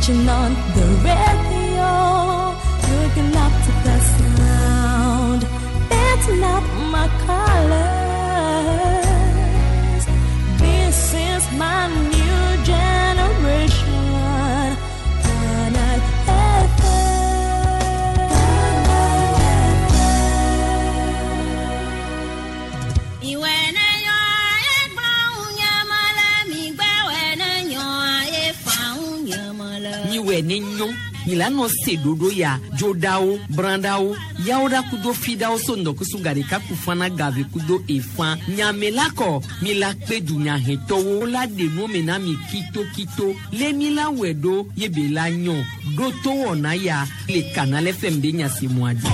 Switching on the radio, looking up to the sound. That's not my colors. This is my new generation. Canal Miwɛ ne nyɔ milano se ɖoɖo ya dzoɖawo brãɖawo yawo ɖa kudo fiɖawo so ŋdɔkusu gaɖeka kufana gave kudo efã nyame la kɔ mi la kpe dunyahetɔwo la ɖe nuwo me na mi kitokito lé mi la wɔe ɖo ye be la nyɔ ɖo to wɔna ya le Canal FM be nyasemua dzi.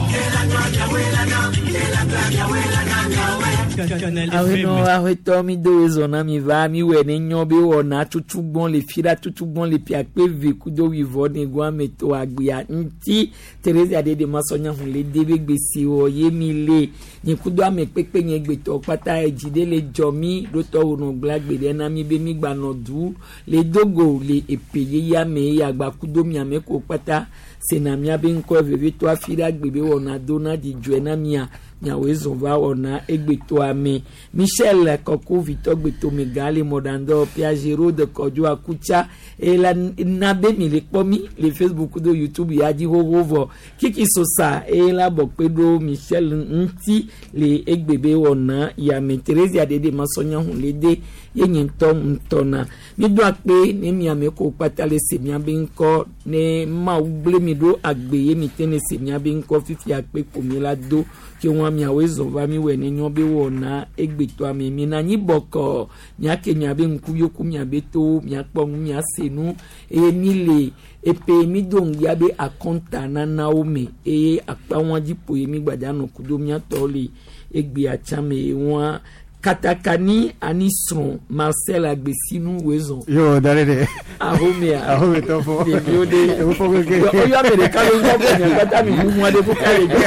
Awenɔ awetɔ mi do wezɔ na mi va mi wɛ ne nyɔ be wɔna tutu gbɔn le fi ɖa tutu gbɔn le pia kpe ve kudo wivɔ ne go ame to agbea ŋuti Teresa de de ma sɔ nya hun le de be gbesi wɔ ye mi le nye kudo ame kpekpe nye gbetɔ kpata edzi ɖe le dzɔ mi ɖo tɔ wo nɔ gblẽ agbe ɖe na mi be mi gba nɔ du le dogo le epe yeyea me eye agba kudo miame ko kpata sena mia be ŋkɔ vevitɔ afi ɖe agbe be wɔna do na dzidzɔe na mia miawoe zɔn va wɔna egbetɔa me Michel Kɔku vitɔ gbetome gã le mɔɖandɔ Piagero de Kɔdzo Akutsa eye la na be mi le kpɔ mi le Facebook do YouTube ya dzi xoxo vɔ Kiki Sosa eye la bɔ kpe ɖo Michel ŋuti le egbe be wɔna yame Theresia ɖeɖe masɔnya hun le de ye nye ŋutɔ ŋutɔ na mi do akpe ne miame ko kpata le se miabe ŋkɔ ne Mawu gblẽ mi ɖo agbe ye mi te ne se miabe ŋkɔ fifi akpe ko mi la do ke wɔn miawoe zɔ va mi wɔ ne nyɔ be wɔna egbetɔa me mi na anyi bɔkɔ miake miabe ŋkuviwo ku miabe towo miakpɔ nu miase nu eye mi le epe mi do ŋgbia be akɔnta nanawo me eye akpa wɔn dzi ƒo ye mi gbadza nɔ kudo miatɔwo le egbea tsã me wɔn katakani ani srɔ̃ Marcel Agbesinu wezɔn. Yo, dale de. Ahomea. Ahome tɔfɔ. Ɖeviwo de. Ewo fɔ keke. Oyɔ ame ɖeka le ŋkɔ bɔ nya kpata mi ʋuʋu aɖe ko ka le dzi.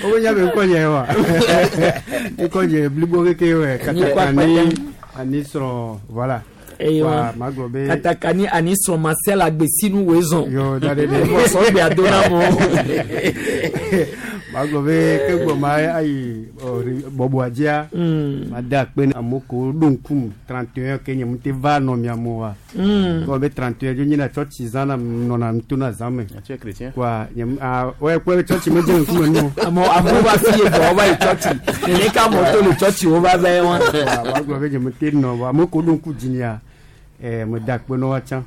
O nya be ŋkɔ nye wa. Ŋkɔ nye blibo keke wɛ. Katakani ani srɔ̃ voilà. Eye wa magblɔ be. Katakani ani srɔ̃ Marcel Agbesinu wezɔn. Yo, dale de. Vɔ sɔ gbe ado na mo. Magblɔ be ke gbɔ ma ayi bɔbɔa dzia. Ma da akpe na amewo ko ɖo ŋkum 31 ke nye mu te va nɔ mia mo wa. Gblɔ be 31 dzo nyina tsɔtsi zã na nɔna ŋuto na zã me. Tu es chrétien? Quoi, nye ah ouais kpɔe be tsɔtsi medze ŋkume nu. Amewo va fi ye vɔ wova yi tsɔtsi. Nene ka amewo to le tsɔtsi wova va ye wa. Magblɔ be nye mu te nɔ vɔ amewo ko ɖo ŋku dzinyea me da akpe na woa tsã.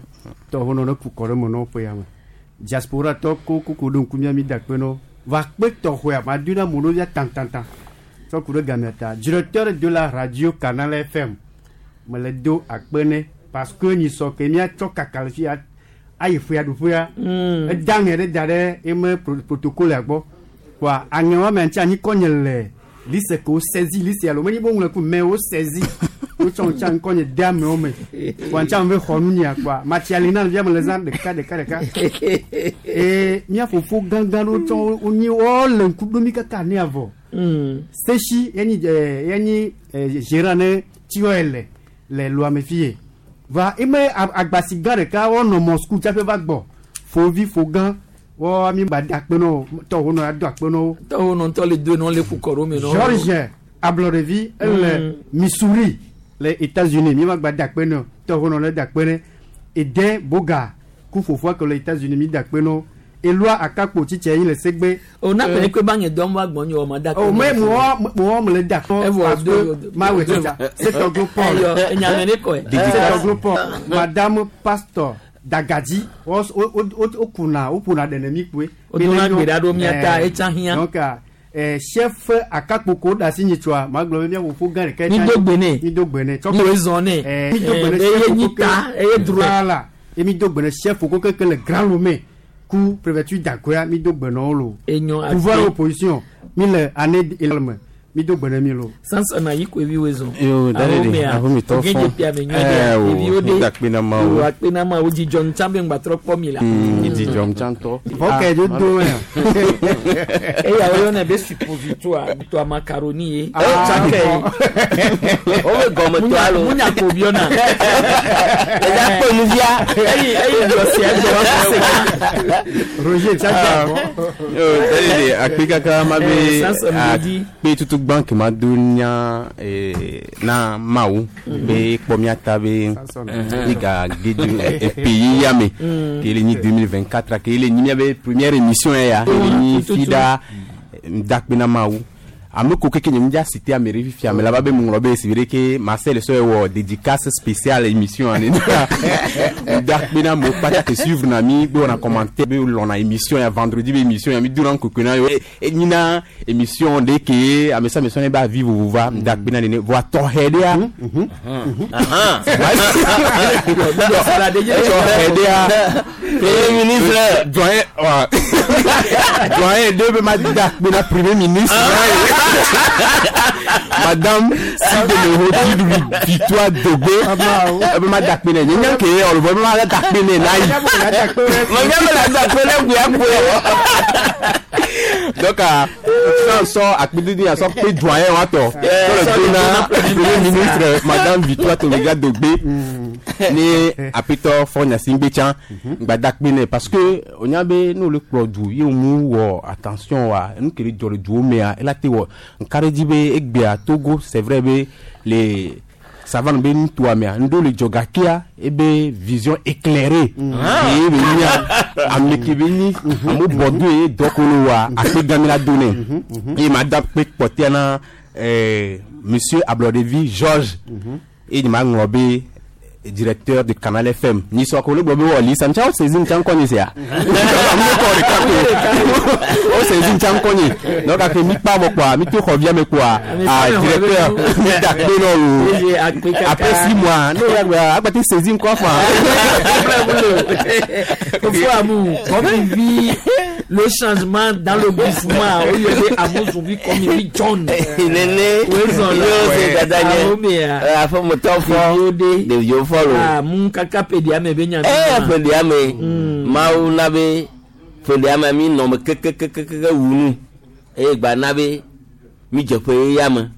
Tɔwo nɔ ne ku kɔ ɖe me na woƒe ya me. Diaspora tɔ ko ko ko ɖo ŋku mía mi da akpe na wo. Va kpe tɔxɔea ma do na amewo via tantantan. Tsɔ ku ɖe gamea ta. Directeur de la radio Canal FM me le do akpe ne parce que nyisɔ ke míatsɔ kaka le fia ayi ƒea ɖuƒea. Eda aŋe ɖe da ɖe eme protocole gbɔ. Quoi aŋe wa me ŋuti anyikɔ nye le liste ke wo saisi liste alo menye be woŋlɔ ku mais wo saisi. Wotsɔ ŋuti anyikɔ nye de amewo me. Quoi ŋuti ame xɔ nu nya quoi matsi ali na via me le zã ɖeka ɖeka ɖeka. Eye mía fofo gãgã ɖewo tsɔ wonyi wo le ŋku ɖom mi kaka ne avɔ. Sesi yenyi yenyi gérant ne tiɔ le le loa me fie. Va eme agbasi gã ɖeka wonɔ Moscou tsaƒe va gbɔ. Fovi fogã wɔ mi gba da akpe na wo tɔwo nɔ ado akpe na wo. Tɔwo nɔ ŋutɔ le do nɔ le ku kɔ ɖo me nɔ. George Ablɔɖevi ele Missouri le États-Unis mi ma gba da akpe na tɔwo nɔ le da akpe ne. Ede Boga ku fofoa ke le États-Unis mi da akpe na wo. Eloi akakpo tsitsi yi le segbe. O na pene kpe ba nye dɔm va gbɔ nye wɔ ma da akpe. O mais moi me le da akpe. Evɔ parce que ma wɛ tsitsa. C'est Toglo Paul. Eyɔ enyame ne kɔe. C'est Toglo Paul. Madame Pastor Dagadzi wo wo wo kuna wo ƒona ɖe ne mi koe. O dona gbe ɖa ɖo mía ta etsa hiã. Donc chef akakpo ko da si nyitsɔa magblɔ be mía fofo gã ɖeka. Mi do gbe nɛ. Mi do gbe nɛ. Mi wo zɔn nɛ. Mi do gbe nɛ. Eye nyi ta eye dro. Voilà. Et mi do gbe nɛ chef ko keke le Grand Lomé ku préfecture d'Agoya mi do gbe nɔ wo lo. Enyo Pouvoir opposition mi le année me. Mi do gbene mi lo. Sansan na yi ko evi wezo. Yo, daddy, ahome tɔ Oge fɔ. pia me nyɔ Eh, de. o, Evi o de. mi da kpe na ma O o. akpe na ma o dzidzɔ ŋutsa be ŋgba trɔ kpɔ mi la. Dzidzɔ ŋutɔ. Ok, je do ya. Eya wo yɔna be suppositoire to macaroni ye. Ah, Tsakɛ. O be gɔme to alo. Munya ko biɔna. Ẹja kpɔ nuvia. Eyi eyi jɔsi ɛgbɛ wa se kan. Roger, ça ah. Yo, daddy, akpe kaka ma Eh, be Samson Bedi. akpe tutu gbã ke ma do nya eh, na mawu be kpɔ mía ta be ega ge du epe ya me ke le nyi 2024 ke le nyi miabe première émission ya ke le nyi Tutu. fida dakpe na mawu ame ko keke nye ŋdza cité ame ɖe fifia ame la va be ŋlɔ be si ɖe ke Marcel sɔ wɔ dédicace spéciale émission ane dakpe na amewo kpata ke suivre na mi be wɔna commentaire be lɔna émission ya vendredi be émission ya mi dona ŋkeke na yo e nyina émission ɖe ke ame sia ame sɔ ne be avi vovova dakpe na nene voa tɔxɛ ɖea tɔxɛ ɖea Premier ministre. doyen wa doyen de be ma dakpe na premier ministre madame Sidemeho Victoire Dogbe ebe ma dakpe nɛ nye nya ke ɔlubɔ ebe ma dakpe nɛ na yi Mɔgɔ bɛ la da kpe ne kuya kuya. donc ah, sɔn sɔ akpedidi sɔ kpe doyen wa tɔ sɔ le do na premier ministre madame Victoire Tomiga Dogbe ni apetɔ fɔ Gnassingbé tsã gba dakpe nɛ parce que o nya be n'olu kplɔ du ye mu wɔ attention wa nu ke le dzɔ le duwo mea ela te wɔ nka ɖe dzi be egbea Togo c'est vrai be le savane be nutoa mea ŋɖo le dzɔ gakea ebe vision éclairée ye be nya ame ke be nyi amewo bɔ do ye dɔkolo wa akpe gami la do nɛ ye ma da kpe kpɔtɛa na monsieur Ablɔɖevi Georges ye nye ma ŋlɔ be directeur de Canal FM ni sɔ ko le gblɔ be wɔ lisa ŋutsa wo saisi ŋutsa ŋkɔ nye sia amewo kɔ ɖeka ko wo saisi ŋutsa ŋkɔ nye donc ake mi kpa vɔ kpoa mi to xɔ via me kpoa ah directeur mi da kpe nɔ Eye o akpe kaka. après 6 mois n'o ya gba agbate saisi ŋkɔ fa Fofo Amou, comme il vit le changement dans le mouvement, où il y avait Amou Zoubi comme il vit John. Nene. Wezɔn la. Yóò se dada nye. Ahomea. Afɔmutɔ fɔ. Ɖeviwo ɖe. Ɖeviwo fɔ lo. Ah, mu kaka pedia me be nya. Ɛ ƒelia me. Mawu na be ƒelia me mi nɔ me kekekekeke wu nu. Eye gba na be mi dze ƒe ya me.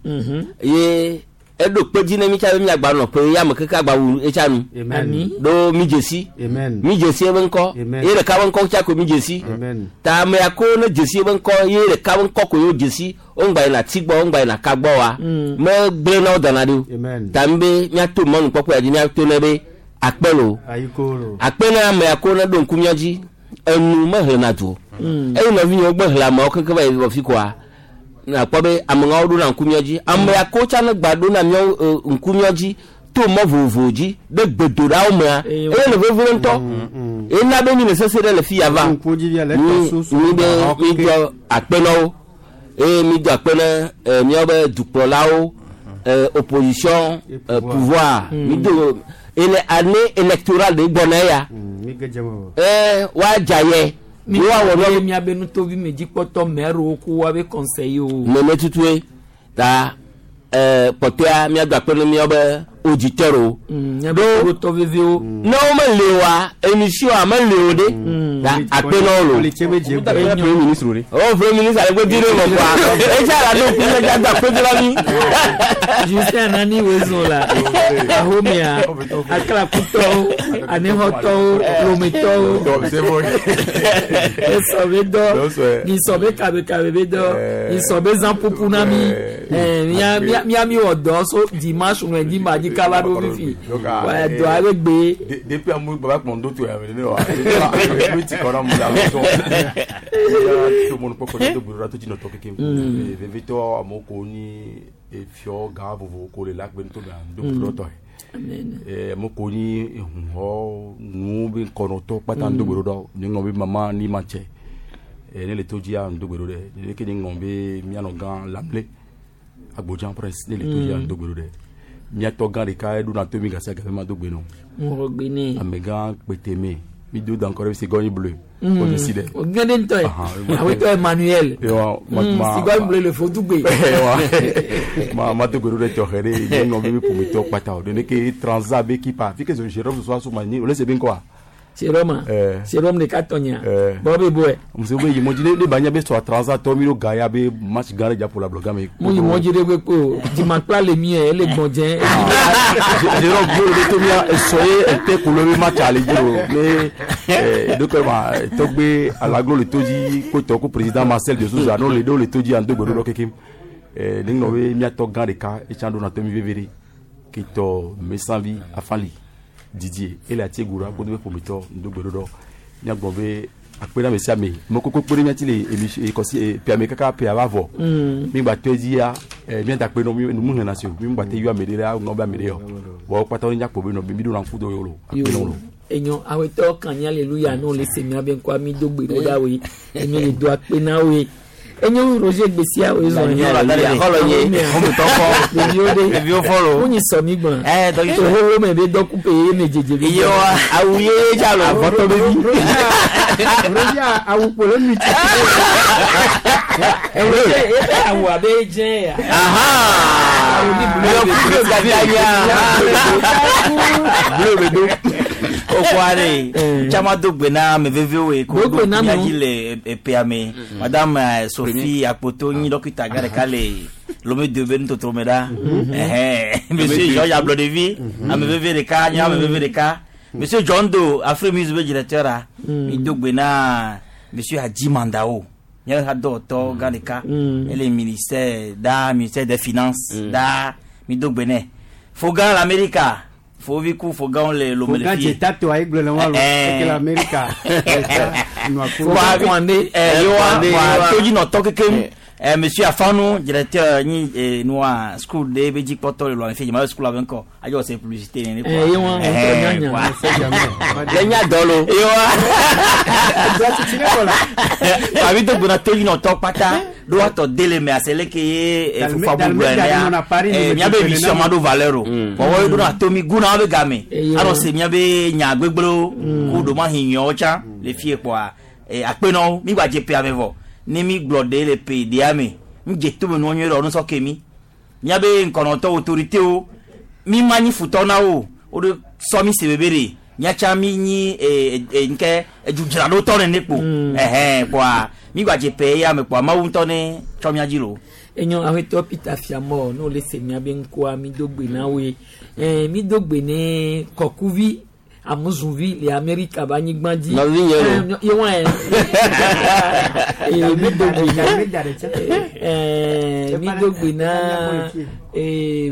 Ye eɖo kpe dzi ne mi tsa be miagba nɔ ƒe ya me keke agba wu etsa nu. Amen. Ami. Ɖo mi dze si. Amen. Mi dze si ebe ŋkɔ. Amen. Ye ɖeka be ŋkɔ tsa ko mi dze si. Amen. Ta ame ya ko ne dze si ebe ŋkɔ ye ɖeka be ŋkɔ ko yewo dze si wo ŋgba yina ati gbɔ wo ŋgba yina ka gbɔ wa. Me gblẽ na wo dana ɖi o. Amen. Ta mi be miato mɔnukpɔkpɔ ya dzi miato ne be akpe lo. Ayikoro. Akpe na ame ya ko ne ɖo ŋku mía dzi enu mehlẽna du o. Eyi nɔvinyewo gbe hlẽ ameawo kekem va yi vɔ fi koa nakpɔ be amehawo ɖona ŋku mía dzi. Ame ya ko tsa ne gba ɖona míawo ŋku mía dzi to mɔ vovovo dzi ɖe gbedoɖawo mea Eye eye le vevie ŋutɔ. Ena be mi le sese ɖe le fi ya va Ŋku dzi via le mi tɔ soso. mi be mi do akpe na wo eye mi do akpe na míawo be dukplɔlawo opposition Et pouvoir. pouvoir mi do ele année électorale de gbɔna ya Mi ge dze me. woadza yɛ Mi woawɔ wɔ nɔ miabe nutovi me dzikpɔtɔ mɛro ko woabe conseiller o. nene tutue ta kpɔtɔa míado akpe na míawo be auditeur o Miabe tɔ vevewo. ne wo mele oa émission a mele o ɖe ta akpe na wo lo. Politse be dze dakpe na premier ministre o de o premier ministre ale ko di ne ma kuwa etsa la do kun ne do akpe na mi. Justin Anani wezon la. Ahomea. Aklakutɔwo, anehɔtɔwo, lometɔwo. Donc, c'est bon. Esɔ be dɔ. Donc, c'est- Nisɔ be kabekabe be dɔ. Eh. Nisɔ be zã pupu na mi. Eh. Eh, mía mía mía mi wɔ dɔ so dimanche lundi mardi kaba ɖo fifi. Donc, ah, Wa eh, dɔ abe gbe. Depuis amour baba kpɔn do to ya mɛ ne wa ne ti kɔrɔ mu la sɔn to mɔnu kpɔkpɔ ne to bolo to dzi nɔtɔ keke vevitɔ amewo ko nyi efiɔ gã vovovo ko le la kpe to mɛ do bolo tɔ ye amewo ko nyi ehuhɔ nuwo be kɔnɔtɔ kpata ŋdo bolo dɔ ne ŋlɔ be mama ni ma tsɛ ne le to dzia ŋdo bolo ɖe ne ke ne ŋlɔ be mianɔ gã lamle agbodza presse ne le to dzia ŋdo bolo ɖe miatɔ gã ɖeka eɖona to mi gasi agafe ma do gbe nɔ Ŋgɔgbe ne. amegã kpeteme Mi do dans encore cigogne bleue. O de si dɛ. O gɛn de ntɔ ye. Ahan. Awetɔ Emmanuel. Ewa, ma ma Cigogne bleue le Fodugbe. Ewa. Ma ma to goro de tɔxɛ de ne nɔ be ƒometɔ kpata o. De ne ke transa be kipa. Fi ke Jérôme soit sous ma ni o le se be ŋkɔa. Jérôme. Eh. Jérôme de ka tɔnya. Eh. Bɔn bɛ bɔ yɛ. Muso be yi mɔdzi ne ne ba nya be sɔ transa tɔ mi ɖo ga ya be match gã ɖe dza ƒo le ablɔgã me. Mu yi mɔdzi ɖe kpekpe o. Dzimakpla le mi yɛ ele gbɔn dzɛ. Jérôme bio le to mia esɔ ye ete kolo be match ale dzi o. Ne ɖokɔ ma tɔgbe alaglo le to dzi kotɔ ko président Marcel de Souza n'o le ɖo le to dzi ando gbe ɖo ɖɔ kekem. Ne ŋlɔ be miatɔ gã ɖeka etsã ɖo na to mi veve ɖe ketɔ mesanvi afali Didier ele ati egura kodo be ƒometɔ ndo gbe ɖo ɖɔ. Miagblɔ be akpe na ame sia ame mekoko kpe ɖe miati le émission kɔsi ƒea kaka ƒea va vɔ. Mi gba tɔ edzi ya miada kpe nɔ mi numu hlẽna si o mi gba te yɔ ame ɖe la ŋlɔ be ame ɖe yɔ vɔ kpata wo nyakpɔ be nɔ mi ɖo na ŋku do yɔ lo akpe nɔ lo. Enyo awetɔ kan ní aleluya n'o le se mia be ŋkɔ mi do gbe ɖo ɖa woe emi le do akpe na woe. Enyo Roger gbesia woe zɔn Nye hallelujah. Xɔlɔ nye. Xɔmetɔ fɔ. Ɖeviwo ɖe. Ɖeviwo fɔ lo. Wonyi sɔ mi gbɔn. Eh, dɔ yi sɔ. Tohoho me be dɔkupe ye me dzedze be. Iye wa awu ye dza lo. Avɔtɔ be vi. Roger awu kpolo nu ti. Roger ebe awu abe dze ya. Aha. Yɔ kudo gada nya. Bleu be do. O ko are. Caman do gbe na ame vevewo ye ko Do gbe na mia amewo. dzi le epea me. Madame Sophie Akpoto nyi dɔkita gã ɖeka le Lomé de be nutotro me ɖa. Ɛhɛn. Monsieur Georges Ablɔɖevi ame veve ɖeka nye ame veve ɖeka. Monsieur John Do Afrimus be directeur a. Mi do gbe na Monsieur Hadji Mandao. Míaƒe hadɔwɔtɔ gã ɖeka. Ele ministère da ministère des finances da mi do gbe nɛ. Fogan l'Amérique. Fovi ku Fogan le Lomé le Fogan fie. dze tato ayi gblɔ le wa lo. Eh. Eke le Amerika. Nua ko. Wa Kwande. yowa Kwande, wa yowa. todzinɔtɔ kekem monsieur Afanu directeur nyi nua school de be dzikpɔtɔ le lɔme fie school abe ŋkɔ adzɔ se publicité nene Eh, ye wa ŋutɔ nyanya. Le nya dɔ lo. yowa Dɔ titi ne kɔ la. abi do gbona todzinɔtɔ kpata ɖo atɔ de le me ase leke ye Dalme- fofoa Dalme gbogbo Dalme enea nɔna Paris, eh, me miabe tso émission nena. ma ɖo valeur o wɔwɔ ye ɖona tomi guna be game Eye anɔ wa. se miabe nya gbegblẽwo ku ɖomahi nyɔwo tsã le fie kpɔa akpenɔwo mi gba dze ƒea me vɔ ne mi gblɔ ɖe le ƒe ɖea me ŋdze tome nua nyuie ɖe nusɔ ke mi miabe ŋkɔnɔtɔ autoritéwo mi ma nyi futɔ na wo o de sɔ mi se bebe ɖe miatsa mi nyi nke edzudzraɖotɔ nene kpo ɛhɛn kpɔa mi gba dze ƒe ya me kpɔa mawu ŋutɔ ne tsɔ mia dzi lo. Enyo awetɔ Peter Fiamɔ n'o le se mia be ŋkɔa mi do gbe na woe. Mi do gbe ne kɔkuvi amuzuvi le Amerika be anyigba dzi. Nɔvinye lo. Ye wa yɛ. Mi do gbe na. Dalme da ɖe tse. Mi do gbe na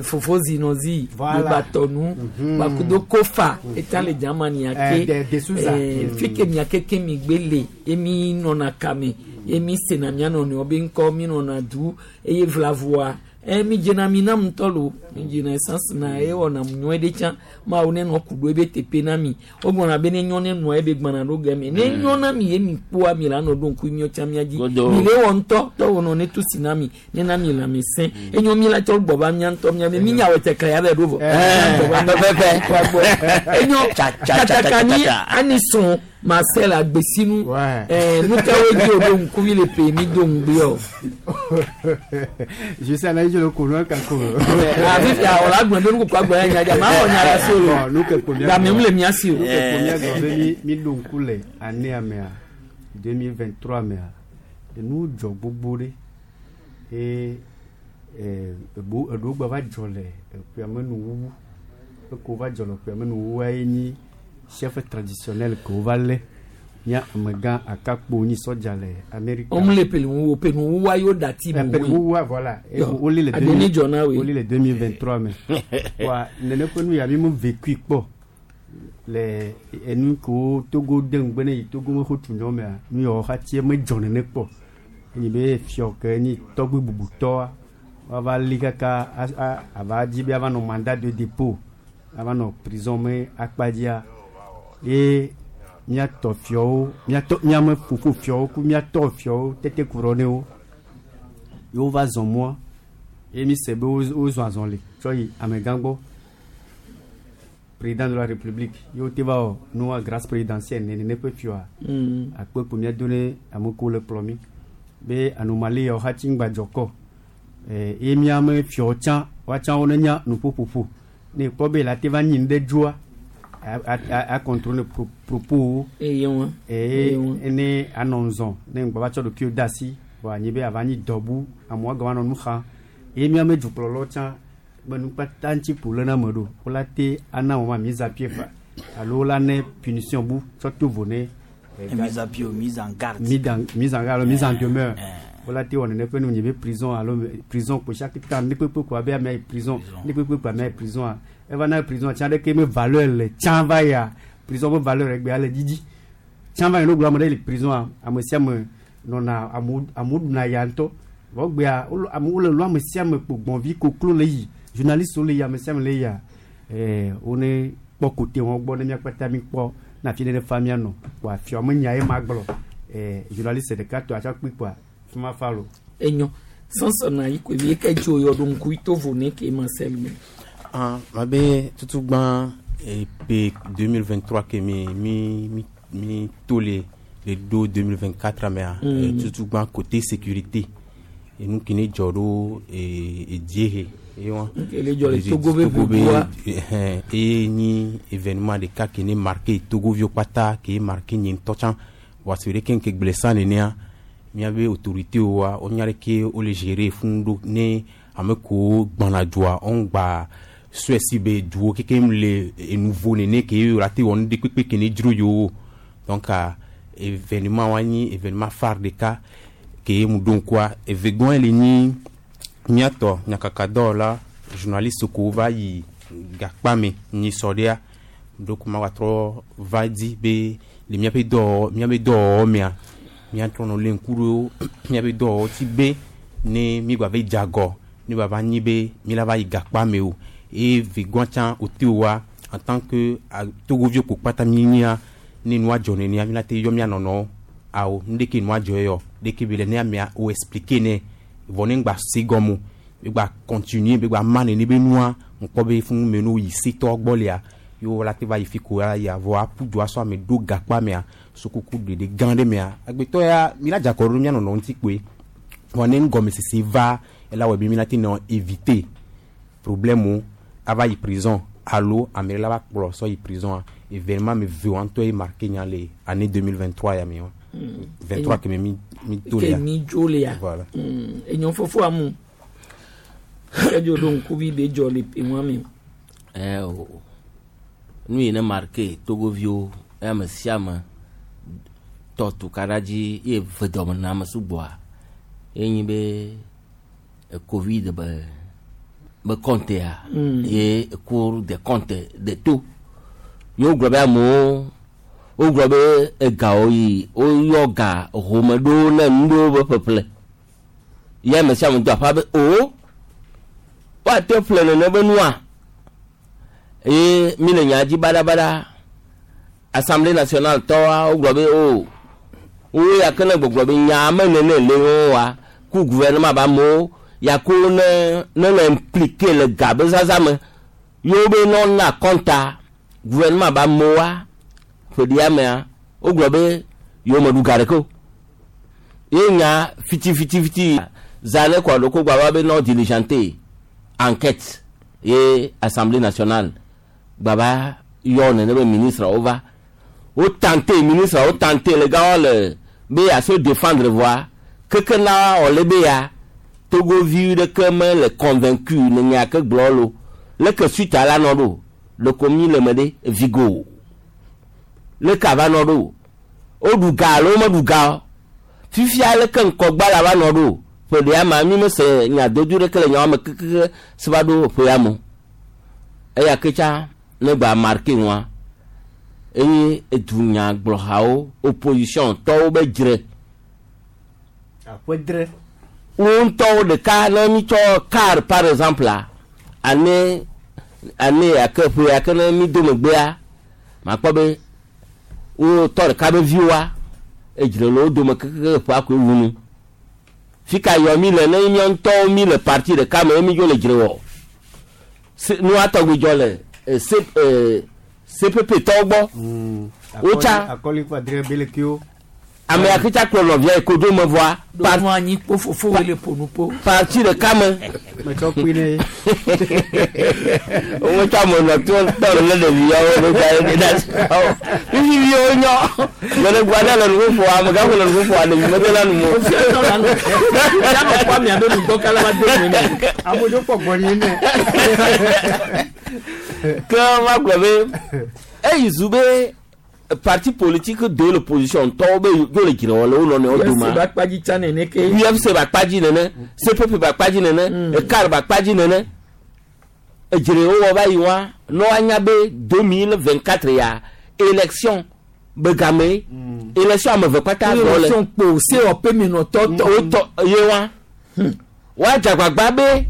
fofozi nɔzi Voilà. gbebatɔnu gbakudo kofa eta le Germany ake. De Souza. Fi ke mia keke mi gbe le ye mi nɔna kame ye mi sena mia nɔnɔewo be ŋkɔ mi nɔna du eye vlavoa mi dzena mi na ŋutɔ lo mi dzena essence na eye wɔna nyuie ɖe tsã mawu ne nɔ ku ɖo ebe teƒe na mi wogbɔna be ne nyɔ ne nɔa ebe gbana ɖo gɛmɛ ne nyɔ na mi ye mi kpoa mi la nɔ ɖo ŋku miɔ tsã mia dzi Godo. mi le wɔ ŋutɔ tɔwo nɔ ne tu si na mi ne na mi lãme sẽ enyo mi la tsɔ gbɔ va mia ŋutɔ mia be mi nya wɔ tɛkɛ ya bɛ ɖo vɔ Pɛpɛpɛ. enyo Tsa, tsa, tsa, tsa, katakani tsa, tsa. anison Marcel agbesinu Ouais. Nukawo dzi o ɖo ŋkuvi le pe mi do ŋugbe o. Je sais la je le connais kako. Afi awɔ la gblɔ be nukukɔ agblɔ ya nya dza maa wɔ nya la si o Bon, lo nu ke ko mia. game mu le mia si o. Nu ke ko mia gblɔ be mi mi ɖo ŋku le année mea 2023 mea enu dzɔ gbogbo ɖe eye ebo eɖewo gba va dzɔ le eƒea me nuwuwu eko va dzɔ le eƒea me nuwuwua ye nyi chef traditionnel ke wova lé nye amegã akakpo nyi sɔdza le Amerika. Wɔn le pelu wo pelu wo wa yóò dati Eh, bu pe- wo. wuwua voilà Et Yo, woli le Adoni dzɔ na woe. woli le 2023 me wa nene ƒe nu ya mi mu vécu kpɔ le enu kewo Togo de ŋugbe ne yi Togo me xotu nyɔ mea nu yawo xatsi me dzɔ nene kpɔ enyi be fiɔ ke nyi tɔgbi bubutɔa woava li kaka ava dzi be ava nɔ mandat de dépôt ava nɔ prison me akpadzia ye míatɔ fiɔwo míatɔ míame fofo fiɔwo ku míatɔ fiɔwo tete ku ɖɔ ne wo ye wova zɔ mɔa ye mi se be wozɔ azɔli tsɔ yi amegã gbɔ. président de la république ye wote va wɔ nua grâce présidentielle nene ƒe fioa akpe kpo míado ne ame kewo le kplɔ mi be anomalie yawo hatsi ŋgbadzɔ kɔ eye míame fiawo tsã woatsã wo ne nya nuƒoƒoƒo ne ekpɔ be la te va nyi nu ɖe dzoa a contrôler propos wo eye wọn eye ne anɔ ŋzɔ ne ŋgbɔ va tsɔ ɖokuiwo de asi vɔ anyi be ava nyi dɔbu amewo gava nɔ nu xam eye míame dukplɔlawo tsã be nukpata ŋuti ƒo lé na ame ɖo wola te ana wɔma mise à pied fa alo wola ne punition bu tsɔ to vo ne mise à pied ou mise en garde mise en garde mise en demeure wola te wɔ nene ƒe nu nyi be prison alo prison ko chaque temps ne kpekpe ko abe amea yi prison ne kpekpe ko amea yi prison a eva na prison tsã ɖeke me valeur le tsã va ya prison be valeur egbea le dzidzi tsã va yi no gblɔ ame ɖe le prison a ame sia ame nɔna amewo ɖuna ya ŋutɔ vɔ gbea amewo le lɔ ame sia ame kpo gbɔnvi koklo le yi journaliste wo le yi ame sia ame le yia wo ne kpɔ kote wɔn gbɔ ne míakpata mi kpɔ na fi ne fa mía nɔ kpoa fiɔ me nya ye ma gblɔ journaliste ɖeka tɔ atsɔ kpi kpoa fi ma fa lo. Enyo sɔnsɔn na yi ko ebi ke dzo yɔ ɖo ŋku to vo ne ke ma sel me. Ah, ma be tutugba ep 2023 ke mi mi mi mi to le le do 2024 mea tutugba côté sécurité enu ke ne dzɔ ɖo ediehe ye wa Ke le dzɔ le Togo be ʋuʋua. Eye nyi événement ɖeka ke ne marqué togoviwo kpata ke marqué nye ŋutɔ tsã voa si ɖeke ŋke gblẽ sã nenea míabe autorité woa wonya ɖeke wole gérer funu ɖo ne ame kewo gbɔna dua woŋgba sɔe si be duwo kekem le enuvo nene ke ye la te wɔ nu ɖe kpekpe ke ne dzro yewo donc événement wa nyi événement phare ɖeka ke mu ɖo ŋkua evegɔe le nyi míatɔ nyakakadɔwɔla journaliste kewo va yi gakpa me nyi sɔ ɖea ɖo ko ma trɔ va di be le míaƒe dɔwɔwɔ míaƒe dɔwɔwɔ mea míatrɔ nɔ lé ŋku ɖo míaƒe dɔwɔwɔ ti be ne mi gba va dze agɔ ne gba va nyi be mi la va yi gakpa me o eye vegɔa tsã wote wa en tant que togoviwo ko kpata mi nyia ne nua dzɔ nenea mi la te yɔ mía nɔnɔwo awo nu ɖeke nua dzɔ yɔ ɖeke be le ne amea wo expliquer nɛ vɔ ne ŋgba se gɔme o be gba continuer be gba ma nene be nua ŋkpɔ be funu me no yi setɔ gbɔ lea yewo la te va yi fi ko ya ya vɔ aƒu du asɔ ame ɖo gakpa mea sokuku ɖeɖe gã ɖe mea agbetɔ ya mi la dze akɔ ɖo mía nɔnɔ ŋuti kpoe vɔ ne ŋgɔmesese va ela wɔ be mi la te nɔ éviter problème wo ava yi prison alo ame ɖe la va kplɔ sɔ yi prison a événement me ve wa ŋutɔ ye marqué nya le année 2023 ya me wa 23 ke me mi mi to Ke lea mi dzo lea. Voilà. Enyo fofo amu. Ke dzo ɖo ŋku bi be dzɔ le pe wa me. O nu yi ne marqué togoviwo ame sia ame tɔ tukaɖa dzi ye ve dɔme na ame sugbɔa ye nyi be covid be compte ya ye cour des comptes de to ye wogblɔ be amewo wogblɔ be egawo yi woyɔ ga home ɖowo ne nu ɖewo be ƒeƒle ye ame sia ame do aƒa be o woate ƒle nene be nua eye mi le nya dzi baɖabaɖa assemblée nationale tɔwa wogblɔ be o wo ya ke ne gbɔgblɔ be nya me nene le wo wa ku gouvernement ba amewo ya ko ne ne le impliqué le ga be zaza me yewo be nɔ na kɔnta gouvernement ba amewoa ƒe ɖia mea wogblɔ be yewo me ɖu ga ɖeke o ye nya fitifitifiti za ne kɔ ɖo ko gba va be nɔ diligenter enquête ye assemblée nationale gbaba yɔ nene be ministre wo va wo tenter ministre wo tenter le gã le be ya se défendre voa keke na wòle be ya togovi ɖeke me le convaincu ne nya ke gblɔ lo leke suite ala nɔ ɖo ɖeko mi le me ɖe vigo leke ava nɔ ɖo woɖu ga alo womeɖu ga o fifia leke ŋkɔgba la va nɔ ɖo ƒe ɖea ma mi mese nya dodo ɖeke le nyawo me kekeke si va ɖo ƒea me eya ke tsa ne gba marqué ŋua eye edunyagblɔhawo opposition tɔwo be dzre aƒe dre wo ŋutɔwo ɖeka ne mi tsɔ car par exemple la ane ane yake ƒe yake ne mi do megbea makpɔ be wo tɔ ɖeka be viwoa edzre le wo dome kekeke ƒea koe wu nu fi ka yɔ mi le ne mía ŋutɔwo mi le parti ɖeka me ye mi dzo le dzre wɔ nua tɔgbi dzɔ le se CPP tɔwo gbɔ Wotsa. Akɔli kpa dre belekewo. Ame akitsa kplɔ nɔvia yi kodzo me vɔa Ɖo nu anyi kpo fofo wele ƒo nu po. Parti ɖeka me. Metsɔ kpi ne. Wotsa ame nɔ to tɔ le ɖevi yawo ɖo ga ye ɖe asi awo fifi viwo nyɔ gbeɖegba ɖe le nuƒoƒo amegã ƒo le nuƒoƒo ɖevi mede la nu mo. Yanɔ kpɔ amea be nugbɔ kala va do nu me. Amewo kpɔ gbɔ ni ne. Ke ma gblɔ be eyi zu be parti politique de l'opposition tɔwo be yo le dzre wɔ le wo nɔnɔewo UFC doma. Ba kpadzi tsa nene ke. UFC ba kpadzi nene, CPP ba kpadzi nene, ECAR ba kpadzi nene. Edzre wowɔ va yi wa ne woanya be 2024 ya élection be game élection ame eve kpata zɔ le. Élection kpo COP menɔtɔ tɔ. Wotɔ ye wa woadze agbagba be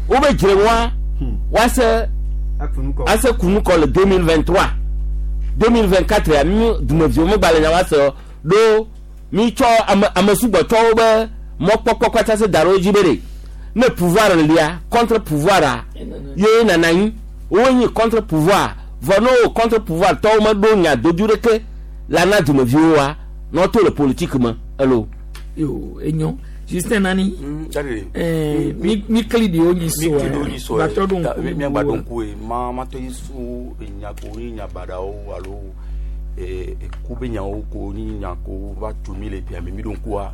wobe dzre wa woase Akunukɔ. ase kunukɔ le 2023 2024 ya mi dumeviwo megba le nya wa se o ɖo mi tsɔ ame ame sugbɔtɔwo be mɔkpɔkpɔ kpata se da ɖe wo dzi be ɖe ne pouvoir lia contre pouvoir a ye nana anyi wonyi contre pouvoir vɔ ne wo contre pouvoir tɔwo meɖo nya dodu ɖeke la na dumeviwo wa ne woto le politique me elo. Yo enyo. Justin nani. Daddy. Eh, mi mi kli di wo nyi so. Mi kli ɖewo nyi so Batɔ ɖo Ta- ŋku. miagba ɖo ŋku ye ma ma tɔ yi so enya ko nyi nya baɖawo alo eku be nyawo ko nyi nya ko va tso mi le ƒea me mi ɖo ŋkua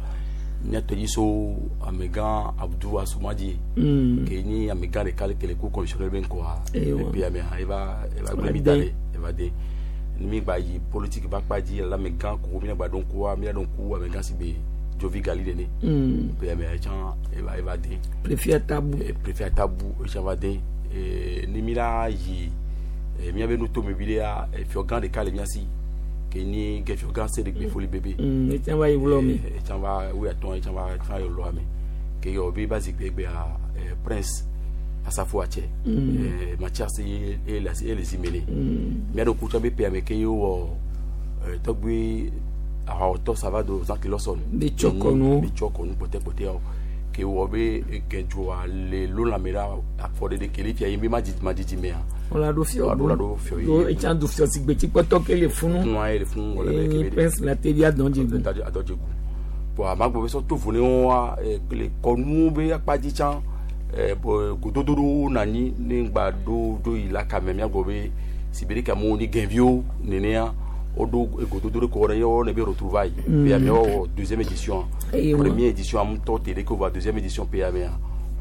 miatɔ yi so amegã Abdou Assomadji ke nyi amegã ɖeka le ke le ku commissionnaire be ŋkɔa Ewa. le ƒea mea eva eva gblẽ mi Va da de. ɖe eva de ni mi gba yi politique ba kpa dzi le amegã ko miagba ɖo ŋkua mia ɖo ŋku amegã si be Jovi Gali nene ƒea mea etsã eva eva de. Préfet Atabu. Préfet Atabu etsã va de. Ne mi la yi miabe nutomevi ɖea fiɔgã ɖeka le mía si ke nyi gɛfiɔgã se ɖe gbe foli bebe. Etsã va yi wlɔ mi. Etsã va wuiatɔ̃ etsã va etsã yi lɔa me ke yɔ be ba zikpui egbea prince Asafo Atsɛ Mathias ye ye le asi ye le si me nɛ mía ɖo kutsɔ be ƒea me ke ye wɔ tɔgbui ahawɔtɔ Savado Zaki Lawson. Be tsɔ kɔnuwo. Be tsɔ kɔnu kpɔtɛkpɔtɛawo ke wɔ be gɛdzoa le lolame ɖa afɔɖeɖe ke le fia ye be madidi mea. Wọ́n ɖo fiɔ. Wa ɖo fiɔ ye. Ɖo etsã du fiɔ si gbetsikpɔtɔ ke le funu. Nua ye le funu wɔ le Enyi ke be prince la te via dɔn dzi gu. Adɔdzegu bon amagbo be sɔ to vo ne wa le kɔnuwo be akpa dzi tsã bɔn gododo ɖewo nɔ anyi ne ŋgba ɖo ɖo yi la kame miagbɔ be si be ɖeke amewo ni gɛnviwo nenea woɖo gododo ɖe kɔ ɖe ye wɔna be retrouvaille pe amewo wɔ deuxième édition. Eye wa. Première édition ŋutɔ te ɖe ke wova deuxième édition pe amea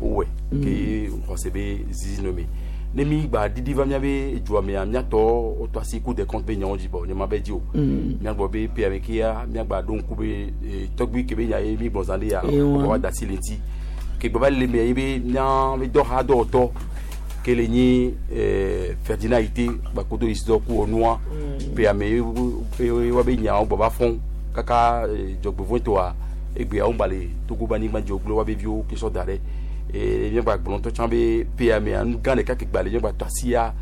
wowɔe ke xɔse be zizi nɔ me ne mi gba didi va miabe dzoa mea miatɔ wotɔ asi Cour des comptes be nyawo dzi bɔ nye ma be dzi o miagbɔ be pe ame kea miagba ɖo ŋku be tɔgbui ke be nya ye mi gbɔ zã ɖe ya Eye wa. wa da asi le ŋuti ke gbɔ va le mea ye be mía be dɔha dɔwɔtɔ ke le nyi Ferdinand Yite gbakodo Isidore ku onua pe ame ye ye wa be nyawo gbɔ va fɔn kaka dzɔgbevɔ̃etɔa egbea wo gba le Togo be anyigba dzi wogblẽ wa be viwo ke sɔ da ɖe miagba gblɔ ŋutɔ tsã be pe amea nu gã ɖeka ke gba le miagba tɔ asia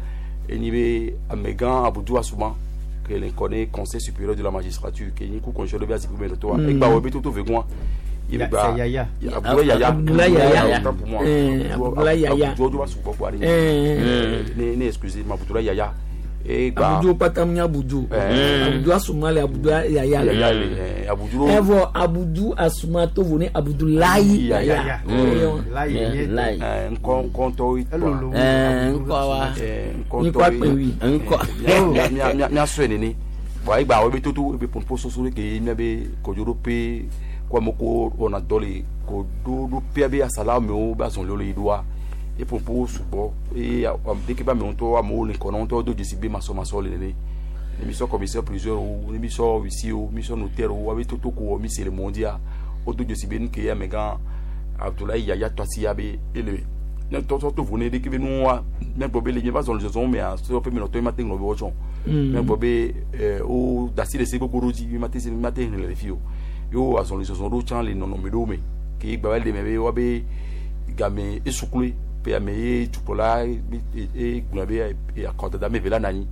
enyi be amegã Abdou Assouma ke le ŋkɔ ne Conseil supérieur de la magistrature ke nyi ku commissionnaire be azikpui me nɔtɔa egba wɔ be toto vegɔa ye be gba C'est Yaya. Abdoulaye Yaya. Abdoulaye Yaya. Autant pour moi. Abdoulaye Yaya. Abdou va sugbɔ kpɔ ne ne excusez ma Abdoulaye Yaya egba Abudu kpata mu nye Abudu. Abudu Asuma le Abudu Yaya le. Yaya le Abudu Evɔ Abudu Asuma to vo ne Abudulayi Yaya. Yaya. Eye wa. Layi nye. Layi. ŋkɔ ŋkɔntɔwo Elolo. Ŋkɔ wa. Nyi kɔ akpɛ wi. Ŋkɔ. Miasɔe nene bon egba wo be toto ebe ponpo soso ɖe ke miabe kodzoɖoƒe ko amewo ko wɔna dɔ le koɖoɖoƒea be asala amewo be azɔliwo le yi ɖoa e ponpo sugbɔ eye deke be amewo ŋutɔ amewo le ŋkɔ na wo ŋutɔ do dzesi be masɔmasɔ le nene ne mi sɔ commissaire priseur wo ne mi sɔ huissier wo mi sɔ notaire wo abe toto ko wɔ mi se le mɔ dzia wodo dzesi be nu ke amegã Abdoulaye Yaya tɔ asi ya be ele ne tɔtɔ to vo ne ɖeke be nuwa miagbɔ be le miava zɔn le zɔzɔn mea sɔ ƒe menɔtɔ ye ma te ŋlɔ be wɔtsɔ miagbɔ be wo da asi le se gbogbo ɖo dzi mi ma te se mi ma te hlẽ le fi o ye wo azɔn le zɔzɔn ɖo tsã le nɔnɔme ɖewo me ke gba va le me be woabe game esukloe pe ame ye dukplɔla e gblɔ be akɔdada me ve la na anyi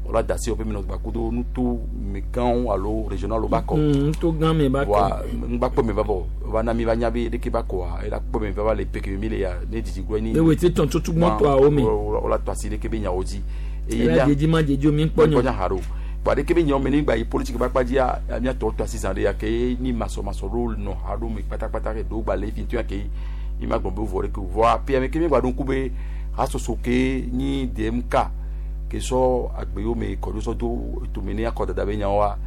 wòla da asi woƒe menɔ gbakudo nuto megãwo alo régional ba kɔ. Nuto gã me ba kɔ. Wa ŋgba kpɔ me va vɔ va na mi va nya be ɖeke ba kɔa ela kpɔ me va va le peke mi le ya ne didi gblɔ ni. Ewɔ eti tɔn tutu mɔtɔawo me. Wòla tɔ asi ɖeke be nyawo dzi. Eye Ela mía dzedzi ma dzedzi o mi kpɔ kpɔ nyɔ. nya haɖo kpa ɖeke be nyawo me ne gba yi politique ba kpadzia míatɔ tɔ asi zã ɖe ya ke ni masɔmasɔ ɖewo nɔ haɖo me kpatakpata ke ɖewo gba le fi ŋutɔ ya ke mi ma gbɔn be vɔ ɖe ke o vɔa pia me ke mi gba ɖo ŋku be hasoso ke nyi DMK ke sɔ agbe yiwo me kɔ ɖo sɔ do tome ne akɔdada be nyawoa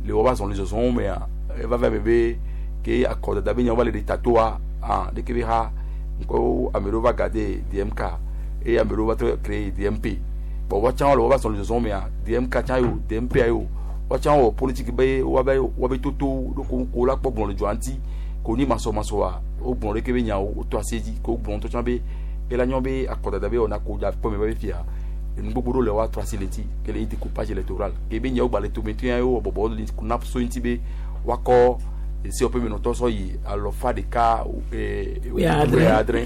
le woba zɔli zɔzɔwo mea eva va me be ke akɔdada be nyawo va le ɖe tatoa ah ɖeke be ha ŋkɔ ame ɖewo va gade DMK eye ame ɖewo va trɔ créer DMP bon woatsã le woba zɔli zɔzɔwo mea DMK tsã yo DMP yo woatsã wɔ politique be woabe woabe toto ɖo ko ko la kpɔ gblɔ le dzoa ŋuti ko ni masɔmasɔa wogblɔ ɖeke be nyawo wotɔ asi dzi ko wogblɔ ŋutɔ tsã be ela nyɔ be akɔdada be wɔna ko dza kpɔ me be fia enu gbogbo ɖewo le woatrɔ asi le ŋuti ke le nyi découpage électoral ke be nyawo gba le tome ŋutɔ ya wo bɔbɔ le kuna so ŋuti be woakɔ esi wɔƒe menɔtɔ sɔ yi alɔfa ɖeka Wuiadre. wuiadre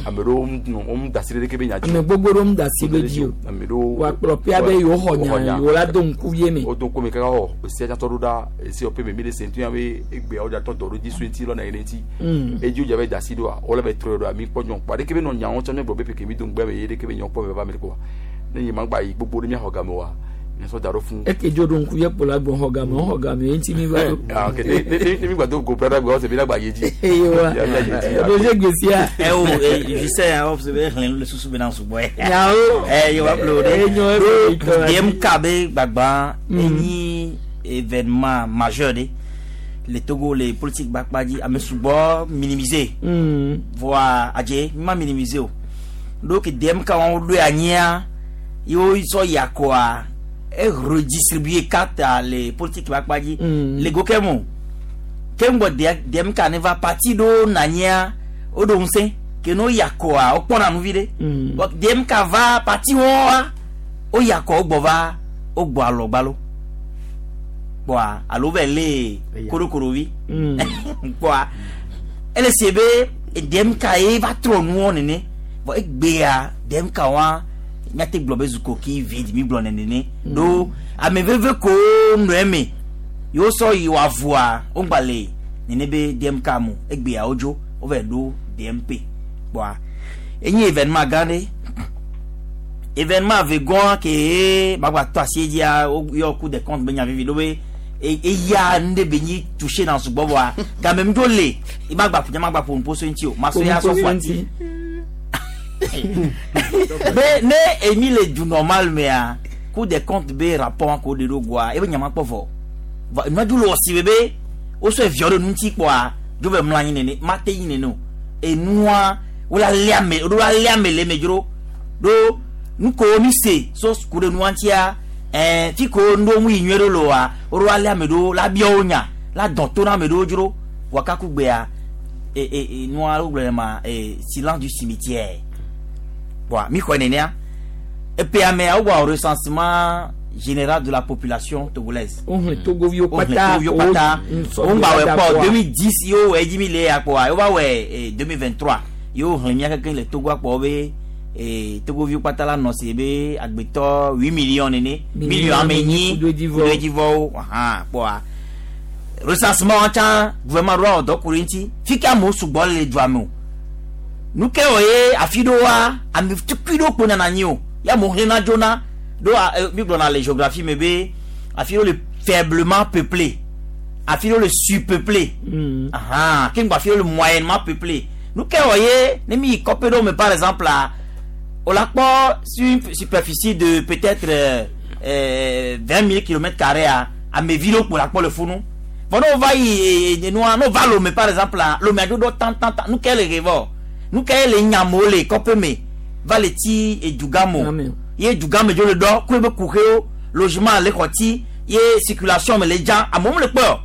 ame ɖewo nɔ wɔm da asi ɖe ɖeke be nya dzi Ame gbogbo ɖewo da asi ɖe dzi o. ame ɖewo Wòakplɔ pia be yewo xɔ nya yewo la do ŋku vie me. wodo ŋku me kaka xɔ esia tsatɔ ɖo ɖa esi wɔƒe me mi le se ŋutɔ ya be egbea wo dzatɔ dɔ ɖo dzi so ŋuti lɔna yi ɖe ŋuti edzi wo dza be da asi ɖoa wole be trɔe ɖoa mi kpɔ nyɔ kpɔ ɖeke be nɔ nyawo tsɔ mi gblɔ be peke mi do ŋgbɛ me ye ɖeke be nyawo kpɔ me va me kpɔa ne nye ma gba yi gbogbo ɖe miaxɔ game oa miasɔ da ɖo fún. Eke dzo ɖo ŋku vie kpo la gbɔ xɔ game xɔ game ye ŋuti mi va ɖo. Ah, ok ne ne ne mi gba do go brada gbe ɔsɛ mi la gba ye dzi. Eye wa Ya, ya, ya, ya. eɖo se gbesia. ɛ o ɛ justin awɔ sɛ be xlẽ le susu be na sugbɔ yɛ. Nyawo. ɛ yewa ƒle o ɖe. Enyo eƒe itɔ la dzi. DMK be gbagba enyi événement majeur ɖe le Togo le politique gbakpa dzi ame sugbɔ minimiser. Voa adze mi ma minimiser o. Donc DMK wɔn ɖo anyia yewo sɔ yakɔa e redistribuer carte le politique gbakpa dzi. Le go kɛ mo ke ŋgbɔ DMK ne va parti ɖewo nɔ anyia woɖo ŋusẽ ke ne wo yakɔa wokpɔna nu vi ɖe. Bon, DMK va parti wɔa wo yakɔ wogbɔ va wogbɔ alɔ gbalo kpɔa alo vɛ le Eya. korokorovi kpɔa ele se be DMK ye va trɔ nuwɔ nene bon egbea DMK wa míate gblɔ be zu coquille vide mi gblɔ nene ɖo ame veve kowo nɔ eme yewo sɔ yi wɔ avua wogba le nene be DMK mo egbea wodzo wova ɖo DMP kpɔa enye événement gã ɖe événement vegɔn ke bagba tɔ asi dzia woyɔ Cour des comptes be nya vivi ɖo be eya nu ɖe be nyi touché na sugbɔ vɔa game mi dzo le ima gba ƒo ma gba ƒo nuƒo so ŋuti o ma so ya sɔ ƒo ati be ne emi le du normal mea Cour des comptes be rapport ko de ɖo goa ebe nya ma kpɔ vɔ vɔ nua dzo le wɔsi be be wosɔ eviɔ ɖe nu ŋuti kpɔa dzo be mlɔ anyi nene ma te yi nene o enua wola lé ame woɖo la lé ame le eme dzro ɖo nu ko mi se so ku ɖe nua ŋutia ɛɛ fi ko nu ɖewo mu yi nyuie ɖo le oa woɖo la lé ame ɖewo la bia wo nya la dɔn to na ame ɖewo dzro vɔ kaku gbea e e e nua wogblɔ ne ma e silence du cimetière bon mi xɔe nenea epe amea wowɔ recensement général de la population togolaise Wohlẽ togoviwo wohlẽ kpata. togoviwo kpata wogba wɔ kpɔ 2010 yewo wɔ edzi mi le ya kpɔa wova wɔ 2023 yewo hlẽ mía kekeŋ le Togo akpɔ be togoviwo kpata la nɔ si be agbetɔ 8 millions nene million ame enyi kudo edzivɔ. kudo edzivɔwo ahan kpɔa recensement tsã gouvernement ɖo awɔ dɔ ku ɖe ŋuti fi ke amewo sugbɔ le dua me o nu ke wɔ ye afi ɖewoa ame tukui ɖewo kpo nana anyi o ya amewo hlẽna dzona ɖo mi gblɔna le géographie me be afi ɖewo le faiblement peuplé afi ɖewo le surpeuplé ahan ke ŋgbɔ afi ɖewo le moyennement peuplé nu ke wɔ ye ne mi yi kɔƒe ɖewo me par exemple la o la kpɔ sur une superficie de peut-être 20 000 kilomètres carrés a amevi ɖewo kpo la kpɔ le funu vɔ ne wova yi nua ne wova Lomé par exemple la Lomé adzo ɖo tan tan tan nu ke le he vɔ nu ke le nyamewo le kɔƒe me va le ti edugã me o Amen. ye dugã me dzo le ɖɔ ku ebe kuxewo logement le xɔ ti ye circulation me le dza amewo me le kpɔe o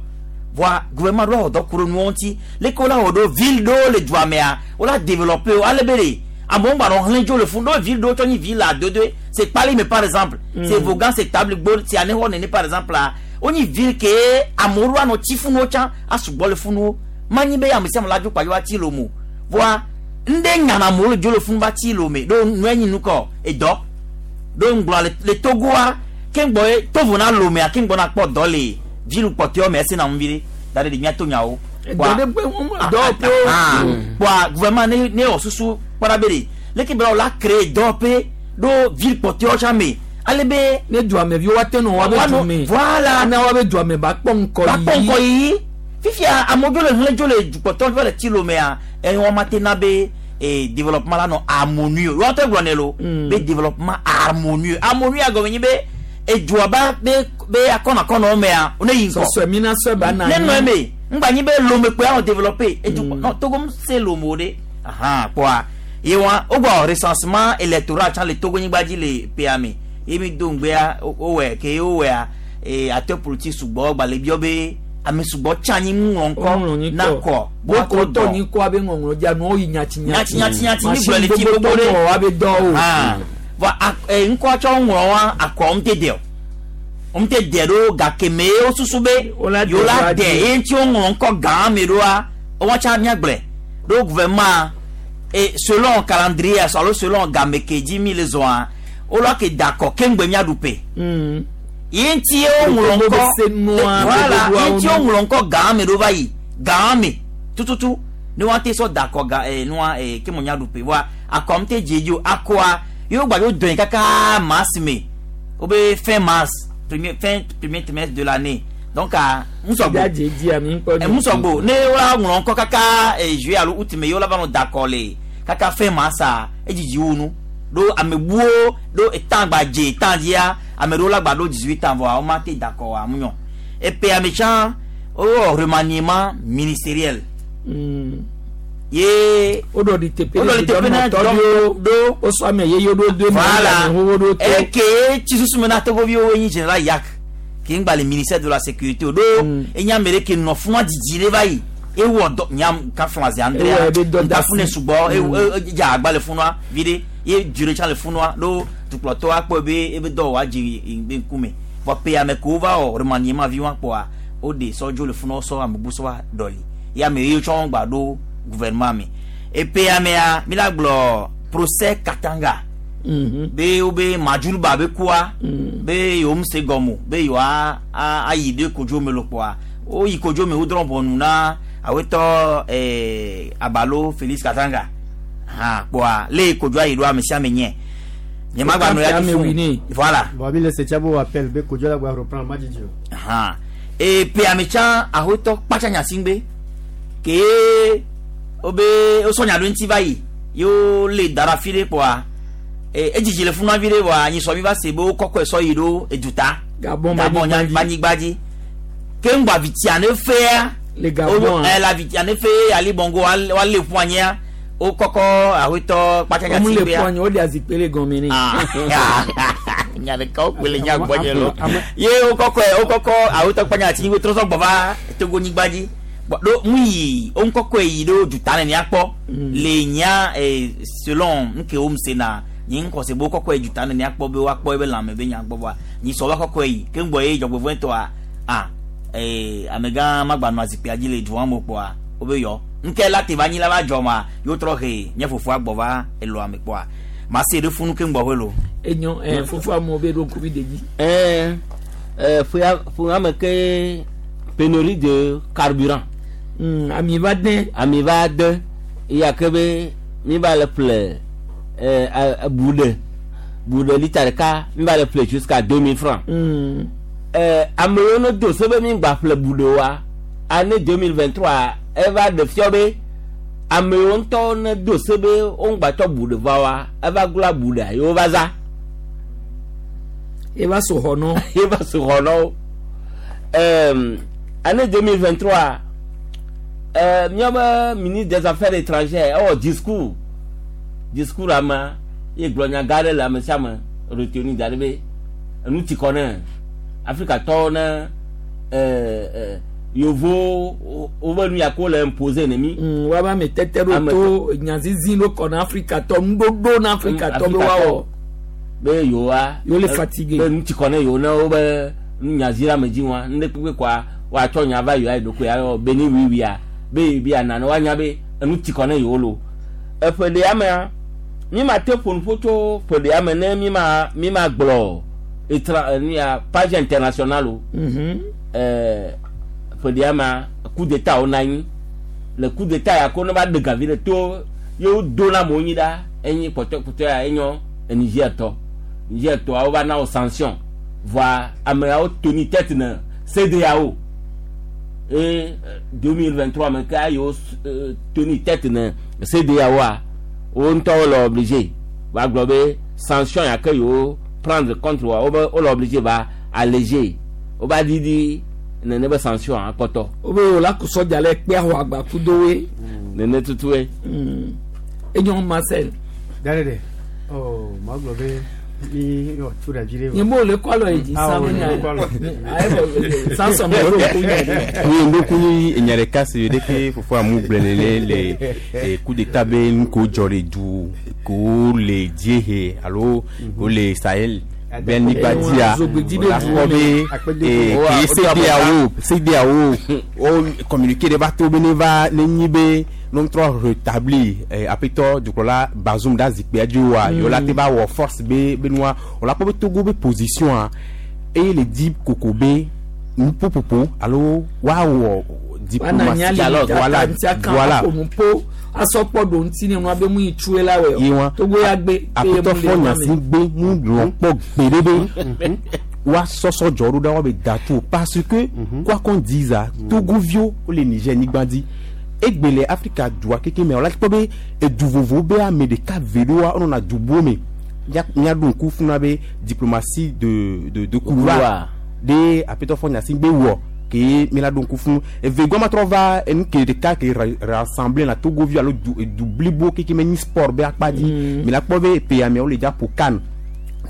voa gouvernement ɖo awɔ dɔ ku ɖe nuwo ŋuti leke wola wɔ ɖo ville ɖewo le dua mea wola développer wo ale be ɖe amewo gba nɔ hlẽ dzo le funu ɖo ville ɖewo tsɔ nyi ville adodoe c'est Kpalime par exemple c'est Vogan c'est Tabligbo c'est Anehɔ nene par exemple la wonyi ville ke amewo ɖo anɔ tsi funuwo tsã asugbɔ le funuwo manyi be ame sia ame la dzo kpa yewoa tsi lome o voa ŋɖe nyana amewo le dzo le funu va tsi lome ɖo nue nyi nukɔ edɔ ɖo ŋgblɔ le Togoa ke ŋgbɔ ye tovo na lomea ke ŋgbɔ na kpɔ dɔ le ville kpɔtɔewo me esi na ŋu vi ɖe da ɖe ɖe míato nyawo. Dɔ ɖe kpe dɔwɔƒewo. Kpɔa gouvernement ne wɔ susu kpɔɖa be ɖe leke be wola créer dɔwɔƒe ɖo ville kpɔtɔewo tsã me Ale be ne duameviwo woate nɔ woabe Woanɔ- dume. Voilà. Na woabe duame ba kpɔ ŋkɔ bakpɔ yiyi. ŋkɔ yiyi fifia amewo dzo le hlẽ dzo le dukpɔtɔ va le tsi lomea eye ma te na be développement la nɔ harmonieux wɔn tɛ gblɔ ne lo be développement harmonieux harmonieux agɔme nyi be edua ba be be akɔnakɔnɔ mea ne yi ŋkɔ Sɔsɔe mina sɔe ba na ne anyi. nɔ eme ŋgba nyi be lome kpe anɔ développé edu non Togo m se lome o de ahan kpɔa ye wa wogbɔ recensement électoral tsã le Togo nyigba dzi le ƒea me ye mi do ŋgbea wowɔe ke ye wowɔea acteur politique sugbɔ gba le biɔ be ame sugbɔ tsã anyi ŋlɔ Woŋlɔ ŋkɔ nyikɔ. na kɔ Wokɔ tɔ nyikɔ abe ŋɔŋlɔ dza nuwo yi nyati Nyati, nyati, nyati, mi Machine gblɔ le fi gbogbo gbogbo ɖe. tɔ woabe dɔwo. Ah. Vɔ ŋkɔ tsɔ ŋlɔ wa akɔ ŋu te de o ŋu te de ɖo gake me ye wosusu be Wola de yewo la woa de de. ye ŋuti woŋlɔ ŋkɔ gã me ɖoa wɔn tsã míagblɔe ɖo gouvernement et selon calendrier alo selon game ke dzi mi le zɔa wola ke da akɔ keŋgbe míaɖu pe ye ŋuti ye woŋlɔ Gbogbo ŋkɔ be se nua, voilà gbogbo ye ŋuti awo nu. woŋlɔ ŋkɔ gã me ɖo va yi gã me tututu ne wɔn te sɔ da akɔ ga nua ke mo míaɖu pe voa akɔ ŋu te dze dzi o akɔa ye wo gba dzo dɔn kaka mars me wo be fin mars premier fin premier trimestre de l'année donc a ŋusɔgbo Dza dze dzi ami ŋkɔ nyi. ŋusɔgbo ne wola ŋlɔ ŋkɔ kaka juillet alo août me ye wola va nɔ da akɔ le kaka fin mars a edzidzi wu nu ɖo ame buwo ɖo etã gba dze etã dzia ame ɖewo la gba ɖo 18 ans vɔa wo ma te da akɔ wa mu nyɔ epe ame tsã wowɔ remaniement ministériel ye Woɖɔ ɖi teƒe Woɖɔ ɖi teƒe na dɔnɔtɔ ɖewo. ɖo Wosɔ ame yeye ɖo do eme, voilà ame xoxo ɖo to. eke tsi susu me na togoviwo enyi général yak ke ŋgba le ministère de la sécurité o ɖo enyi ame ɖe ke nɔ fún wa dzidzi ɖe va yi ewɔ dɔ nyam kafun azi andrea Ewɔ ebe dɔ da nkafun ne si. sugbɔ dze agba le funua vi ɖe ye dzre tsã le funua ɖo dukplɔtɔ akpɔ ebe ebe dɔ wa dzi be ŋkume vɔ pe ame kewo va wɔ remaniement vi wa kpɔa o de sɔdzo le funua sɔ ame bu sɔ wa ɖɔli ye ame yewo tsɔ gba ɖo gouvernement me epe amea mi la gblɔ procès Katanga be wobe maduluba be kua be yewo ŋu se gɔme o be yewoa ayi ɖe kodzo me lo kpɔa woyi kodzo me wodrɔ̃ ʋɔnu na awetɔ abalo Félix Katanga hã kpɔa le kodzoa yi ɖo ame sia ame nye nye ma gba nɔ ya Ame ti wi fún ne. voilà Bon, mi le se tsabo appel be kodzo la gba reprendre ma dzidzi o. hã epe ame tsã awetɔ kpatsa nyasigbe ke wobe wosɔ nya ɖo ŋuti va yi ye wole da ɖe afi ɖe kpɔa edzidzi le funua vi ɖe vɔa nyisɔ mi va se be wokɔkɔe sɔ yi ɖo eduta Gabon Gabon banyigba dzi. banyigba dzi ke ŋgbɔ avitia ne fea Le Gabon, ɛ la avitia ne fe Ali Bongo wale ƒu anyia wokɔkɔ awetɔ kpatsa Wɔmu le nyasigbea ƒu anyi, woɖe azikpui le gɔme nɛ. nya ɖeka wokpe le nya gbɔdze lo ye wokɔkɔ wokɔkɔ awetɔ kpatsa nyati wotrɔ sɔ gbɔ va Togo nyigba dzi Bɔn, ɖo ŋu yi wo ŋkɔkɔe yi ɖo duta nene akpɔ le nya selon nuke wo se na nyi ŋkɔse be wokɔkɔe duta nene akpɔ be woakpɔ ebe lãme be nya gbɔ vɔa nyi sɔ va kɔkɔe yi ke ŋgbɔ ye dzɔgbevɔ̃etɔa a amegã magba nɔ azikpuia dzi le dua me kpɔa wobe yɔ ŋke la te va anyi la va dzɔ ma yewo trɔ he nye fofoa gbɔ va elɔa me kpɔa ma se ɖe funu ke ŋgbɔ hoe lo. Enyo fofo amewo be ɖo ŋkuvi ɖe dzi. Ƒea me ke pénurie de carburant. Ami va de. Ami va de eya ke be mi va le ƒle buɖe buɖe lita ɖeka mi va le ƒle jusqu'à 2000 francs. Ame yiwo ne do se be mi gba ƒle buɖe oa année 2023 eva ɖe fiɔ be ame yiwo ŋutɔ ne do se be wo ŋgba tsɔ buɖe va wa eva gblɔ buɖea yewo va za. Eva so xɔ nɔ. Eva so xɔ nɔ wo. Année 2023 míaƒe ministre des affaires étrangères ewɔ discours amea ye gblɔ nya gã ɖe le ame sia ame retenu da ɖe be enu ti kɔ ne Afrikatɔwo ne yevowo wobe nu ya ko le imposer ne mi. Woabe ame tete ɖo Ame to nyazizi ɖo kɔ na Afrikatɔ nuɖoɖo na Afrikatɔ be woawɔ. Be yewoa. Yewo le fatigué. Be nu ti kɔ ne yewo ne wobe nyazi ɖe ame dzi wa nu ɖe kpekpe kɔa woatsɔ nya va yewoa yi ɖokui ayɔ be ne wuiwuia be yebi ana ne woanya be enu ti kɔ ne yewo lo. Eƒe ɖea mea mi ma te ƒo nuƒo tso ƒe ɖea me ne mi ma gblɔ étra nu ya page internationale o. Ƒe ɖea mea coup d'état wo na anyi le coup d'état ya ko ne va ɖe gavi ɖe to yewo do na amewo nyi ɖa enyi kpɔtɔe kpɔtɔe ya enyɔ Niger tɔ. Niger tɔawo va na wo sanction voa ameawo toni tête ne CEDEAO et 2023 me ka yewo toni tête ne CEDEAO a wo ŋutɔwo le obligé va gblɔ be sanction ya ke yewo prendre contre wa wo be wo le obligé va alléger wo va didi nene be sanction akpɔtɔ. Wo be wo la ku sɔdza le kpe axɔ agba kudo we. Nene tutue. Enyo Marcel. Dare de. Oh, ma gblɔ be mi yɔ tu ɖe vi ɖe. Nye mo le kɔ alɔ yi dzi Ah, san wo mi le nya. kɔ alɔ. Ayi bɔ Samson mo le ko nya ɖe. Oui, ndoku ni enya ɖeka si ɖe ke fofoa mu gblẽ nene le coup d'état be nu ko dzɔ le du ko le dziehe alo ko le Sahel be anyigba dzia Zogbedzi be la duwo kpɔ be ke CEDEAO CEDEAO wo communiqué ɖe va to be ne va ne nyi be ne trɔ rétablir aƒetɔ dukplɔla Bazoum ɖe zikpuia dzi oa yewo la te va wɔ force be be nua wo la kpɔ be Togo be position a eye le di koko be nuƒoƒoƒo alo woawɔ Wana nya diplomatie li Dialogue, voilà ŋuti kan voilà aƒo nu po asɔkpɔ ɖo ŋuti ne nua be mu yi tue la wɛ Ye o. wa. Togo ya gbe. aƒetɔ fɔ Gnassingbé mu lɔn kpɔ gbeɖe be woasɔsɔ dzɔ ɖo ɖa woabe da tu o parce que quoi qu'on dise a Togoviwo wole Niger nyigba dzi egbe le Afrika dua keke mea wola kpɔ be edu vovowo be ame ɖeka ve ɖoa wonɔna du buwo me míaɖo ŋku funa be diplomatie de couloir Couloir. ɖe aƒetɔ fɔ Gnassingbé wɔ ke mi la ɖo ŋku funu evegɔa ma trɔ va enu ke ɖeka ke rassembler na Togoviwo alo du edu blibo keke me nyi sport be akpa dzi mi la kpɔ be ƒe ameawo le dza ƒo kan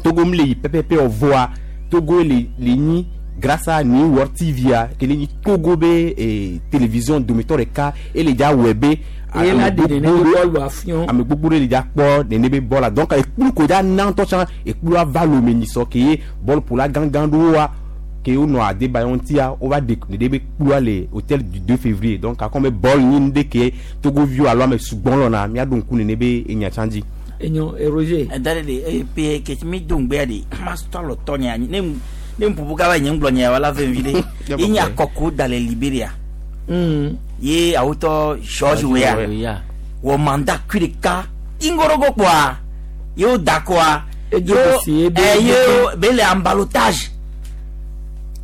Togo mi le yi pɛpɛpɛ o voa Togo le le nyi grâce à New World TV a ke le nyi Togo be télévision dometɔ ɖeka ele dza wɔe be Eye la ame ɖe nene gbogbo be ɖe- bɔlu afiɔ. ame gbogbo ɖe le dza kpɔ nene be bɔl la donc ekplu ko dza na ŋutɔ tsã ekplua va lome nyisɔ ke ye bɔlƒola gãgã ɖewoa ke wonɔ Adebayo ŋutia wova ɖe nene be kplua le hôtel du 2 février donc akɔ be bɔl nyi nu ɖe ke Togoviwo alo ame sugbɔ lɔna míaɖo ŋku nene be enya tsã dzi. Enyo Roger. Dare de eye pe ke mi do ŋgbea de ma tɔ alɔ tɔ nye anyi ne ne ŋuƒoƒo kaba nye ŋgblɔ nye wala ve vi ɖe ye nye akɔko da le Liberia ye awotɔ George Weah Ya. wɔ mandat kui ɖeka ingorogo kpoa ye wo da kɔa Edzo si ye be- ye wo be le en ballottage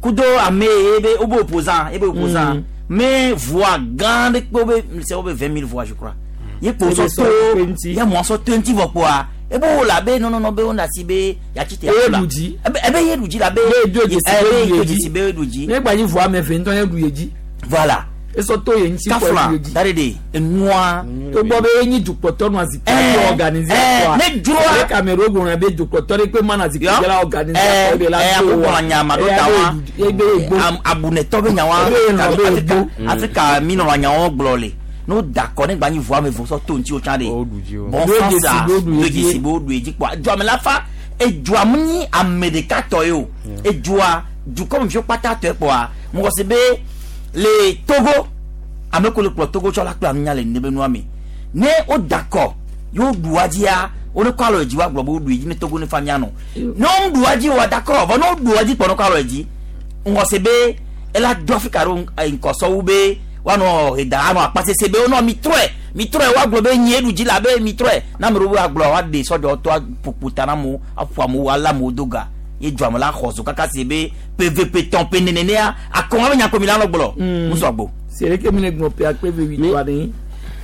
kudo ame ye be wo be opposant ye be opposant mais voix gã ɖe kpe wo be c'est wo be 20 000 voix je crois ye kpo Ebe sɔ sɔ to kpe ŋuti. ye mɔ sɔ to ŋuti vɔ kpoa ebe wo la be non non non be wo na si be yatsi te Ye la ɖu dzi. ebe ebe ye ɖu dzi la be Ye do dzesi ebe be ye ɖu do ye dzi. dzesi be ye ɖu dzi Ne gba nyi voa ame eve ŋutɔ ye ɖu ye dzi. voilà Esɔ to ye ŋuti kɔ kafla ɖu ye dzi. dare de enua Togbɔ be enyi dukplɔtɔ nɔ zikpui Eh, dzi organiser eh, kɔa. ne dzroa- Ale Cameroun gblɔna be dukplɔtɔ ɖe kpe mana zikpui dzi la organiser Eh, kɔ de la eh, to akokɔ wa. nya ma ɖo Eya ta be wa. ye be ye gbo. Abunetɔ be nyawa Ebe ye lɔ be ye Afrika gbo. Afrika mi nɔnɔ nyawo gblɔ le n'o da kɔ ne gba nyi voa me vɔ sɔ to ŋuti o tsã de Wo ɖu dzi o. bon Do sens dzesi a be wo ɖu do ye dzi. dzesi be wo ɖu ye dzi kpoa dua me la fa edua mu nyi ame ɖeka tɔ ye o edua dukɔmeviwo kpata tɔe kpoa mɔgɔ si be le Togo ame ko le kplɔ Togo tsɔ la kple anunya le nebe nua me ne wo da kɔ ye wo ɖu wa dzia wo ne kɔ alɔ dzi wa gblɔ be wo ɖu ye dzi ne Togo ne fa mia nɔ ne wo ɖu wa dzi wa da kɔ vɔ ne wo ɖu wa dzi kpɔ ne kɔ alɔ dzi ŋgɔ se be ela do Afrika ɖo ŋkɔsɔwu be woanɔ eda anɔ akpasese be wonɔ mi trɔe mi trɔe woagblɔ be nyie ɖu dzi la be mi trɔe ne ame ɖewo agblɔ woaɖe sɔdzɔ tɔ aƒoƒo ta na amewo aƒo amewo alé amewo do ga ye dua me la xɔ zo kaka se be pvp tɔn pe nenenea akɔn abe nyakomi la nɔ gblɔ musɔgbo. Sereke mi le gblɔ pe akpe ve wuitɔa ɖe.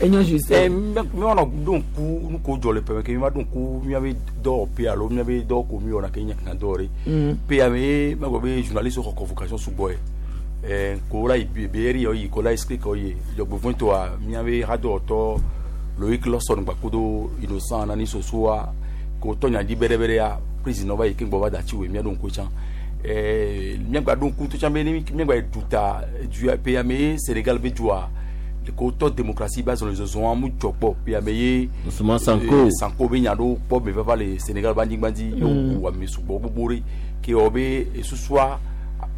Enyo Justin. Mi wɔnɔ ɖo ŋku nu ko dzɔ le ƒeme ke mi va ɖo ŋku miabe dɔwɔƒe alo miabe dɔ ko mi wɔna ke nye kan dɔwɔ ɖe pe ame ye magblɔ be journaliste xɔ convocation sugbɔ ye ko la yi BRI yi ko la explique ye dzɔgbevɔ̃tɔa miabe hadɔwɔtɔ Loïc Lawson gbakodo Innocent Nani Sosoa ko tɔ nya dzi bɛrɛbɛrɛa président va yi ke gbɔ va da tsi woe miaɖo ŋku tsã miagba ɖo ŋku to tsã be ne miagba yi duta dua pe ame ye Sénégal be dua ko tɔ démocratie ba zɔn le zɔzɔn mu dzɔ kpɔ pe ame ye Ousmane Sanko. Sanko be nya ɖewo kpɔ me vava le Sénégal ba anyigba dzi ye woku ame sugbɔ gbogbo ɖe ke wɔ be esusua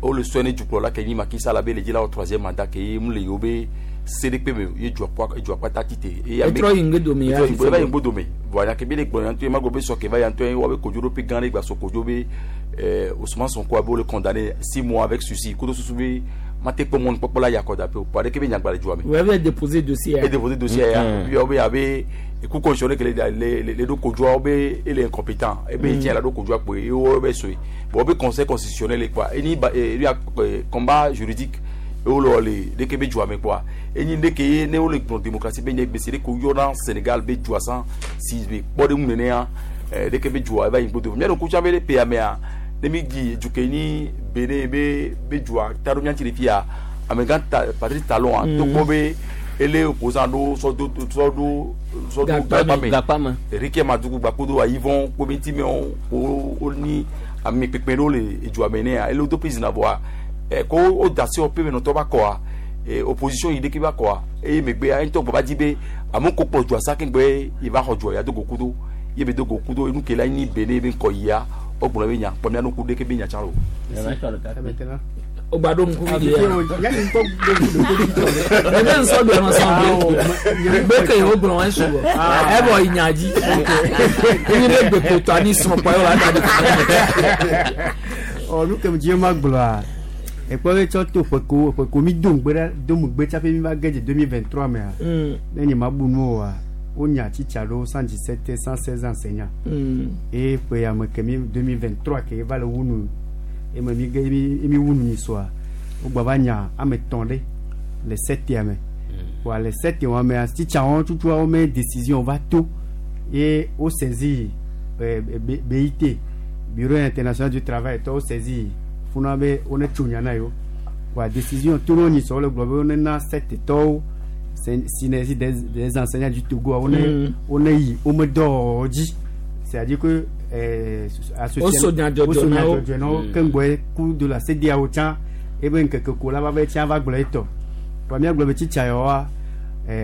wole sɔe ne dukplɔla ke nyi Macky Sall be le dzi la wɔ troisième mandat ke ye mu le yewo be Se ɖe kpe me ye dua kpɔ edua kpata tite eye ame Etrɔ yi ŋgbe ya. etrɔ yi ŋgbe- eva yi ŋgbodome voa nya ke be le gblɔ nya ŋutɔ ye ma gblɔ be sɔ ke va ya ŋutɔ ye woabe kodzoɖoƒe gã ɖe gba sɔ kodzo be Ousmane Sonko abe wole condamné 6 mois avec sursis kudo susu be mate kpɔ mɔnukpɔkpɔ la yi akɔdaƒe o kpɔ aɖeke be nyagba le dua me. Vous avez déposé dossier. E déposé dossier ya puis wobe abe cour constitutionnelle ke le ɖo kodzoa, wobe ele incompétent ebe tiɲɛ la ɖo kodzoa kpoe ye wo be soe bon wobe Conseil constitutionnel quoi eni ba lui a combat juridique ye wole wɔ le ɖeke be dua me quoi enyi ɖeke ye ne wole gblɔ démocratie be nye gbèsè ɖe ko yɔna Sénégal be dua san si be kpɔ ɖe ŋu nenea ɖeke be dua eva yi ŋgbodo mía ɖo kutsa be ɖe pea mea ne mi di du ke ni Benin be dua ta ɖo mía ŋuti le fia amegã ta Patrice Talon a togbɔ be ele opposant ɖo sɔ do Gakpa me. Gakpa me. Rickey Madougou gbakodo ayivɔn ko be ŋuti me wo ni ame kpekpe ɖewo le edua me nea ele wo do prison voa ɛ ko wo da se wɔƒe me nɔtɔ va kɔa opposition yi ɖeke va kɔa eye megbea ŋutɔ gbɔ va di be amewo ko kplɔ dua sa keŋgbe yi va xɔ dua ya do go kudo ye be do go kudo enu ke la nyi Benin be ŋkɔ yia wogblɔ be nya kpɔ mía nuku ɖeke be nya tsã o. Maintenant. O gba ɖo ŋkuvi ɖe ya. Ya ni ŋkɔ ɖo ŋku Ebe nsɔ do ɛnɔ sɔn be gbeke yi wo gblɔ wɔn sugbɔ. Ɛbɔ yi nya dzi. Enyi be gbekotɔ ani srɔ̃ kpɔ ye wòle ada ɖe. Ɔ nu ke dzi ma gblɔa ekpɔ be tsɔ to ƒeko mi do ŋgbe ɖe do ŋgbe tsaƒe mi va ge dze 2023 mea ne nye ma bu nu oa wonya tsitsa ɖewo 117 116 enseignants eye ƒe ya me ke mi 2023 ke va le wu nu eme mi ge mi wu nu nyi soa wogba va nya ame etɔ̃ ɖe le setia me wa le setia wa mea tsitsawo tutua wo me décision va to ye wo saisi BIT, Bureau international du travail tɔwo saisi funa be wo ne tso nya na yewo wa décision to no nyi sɔ wole gblɔ be wo ne na sete tɔwo synergie des enseignants du Togo wo ne wo ne yi wo me dɔwɔwɔ dzi, c'est-à-dire que Wo so nya dzɔdzɔ wo so na nya wo. dzɔdzɔ na wo keŋgbɔe ku de la CEDEAO tsã ebe ŋkeke ko la va be tsã va gblɔ etɔ wa mía gblɔ be tsitsa yawoa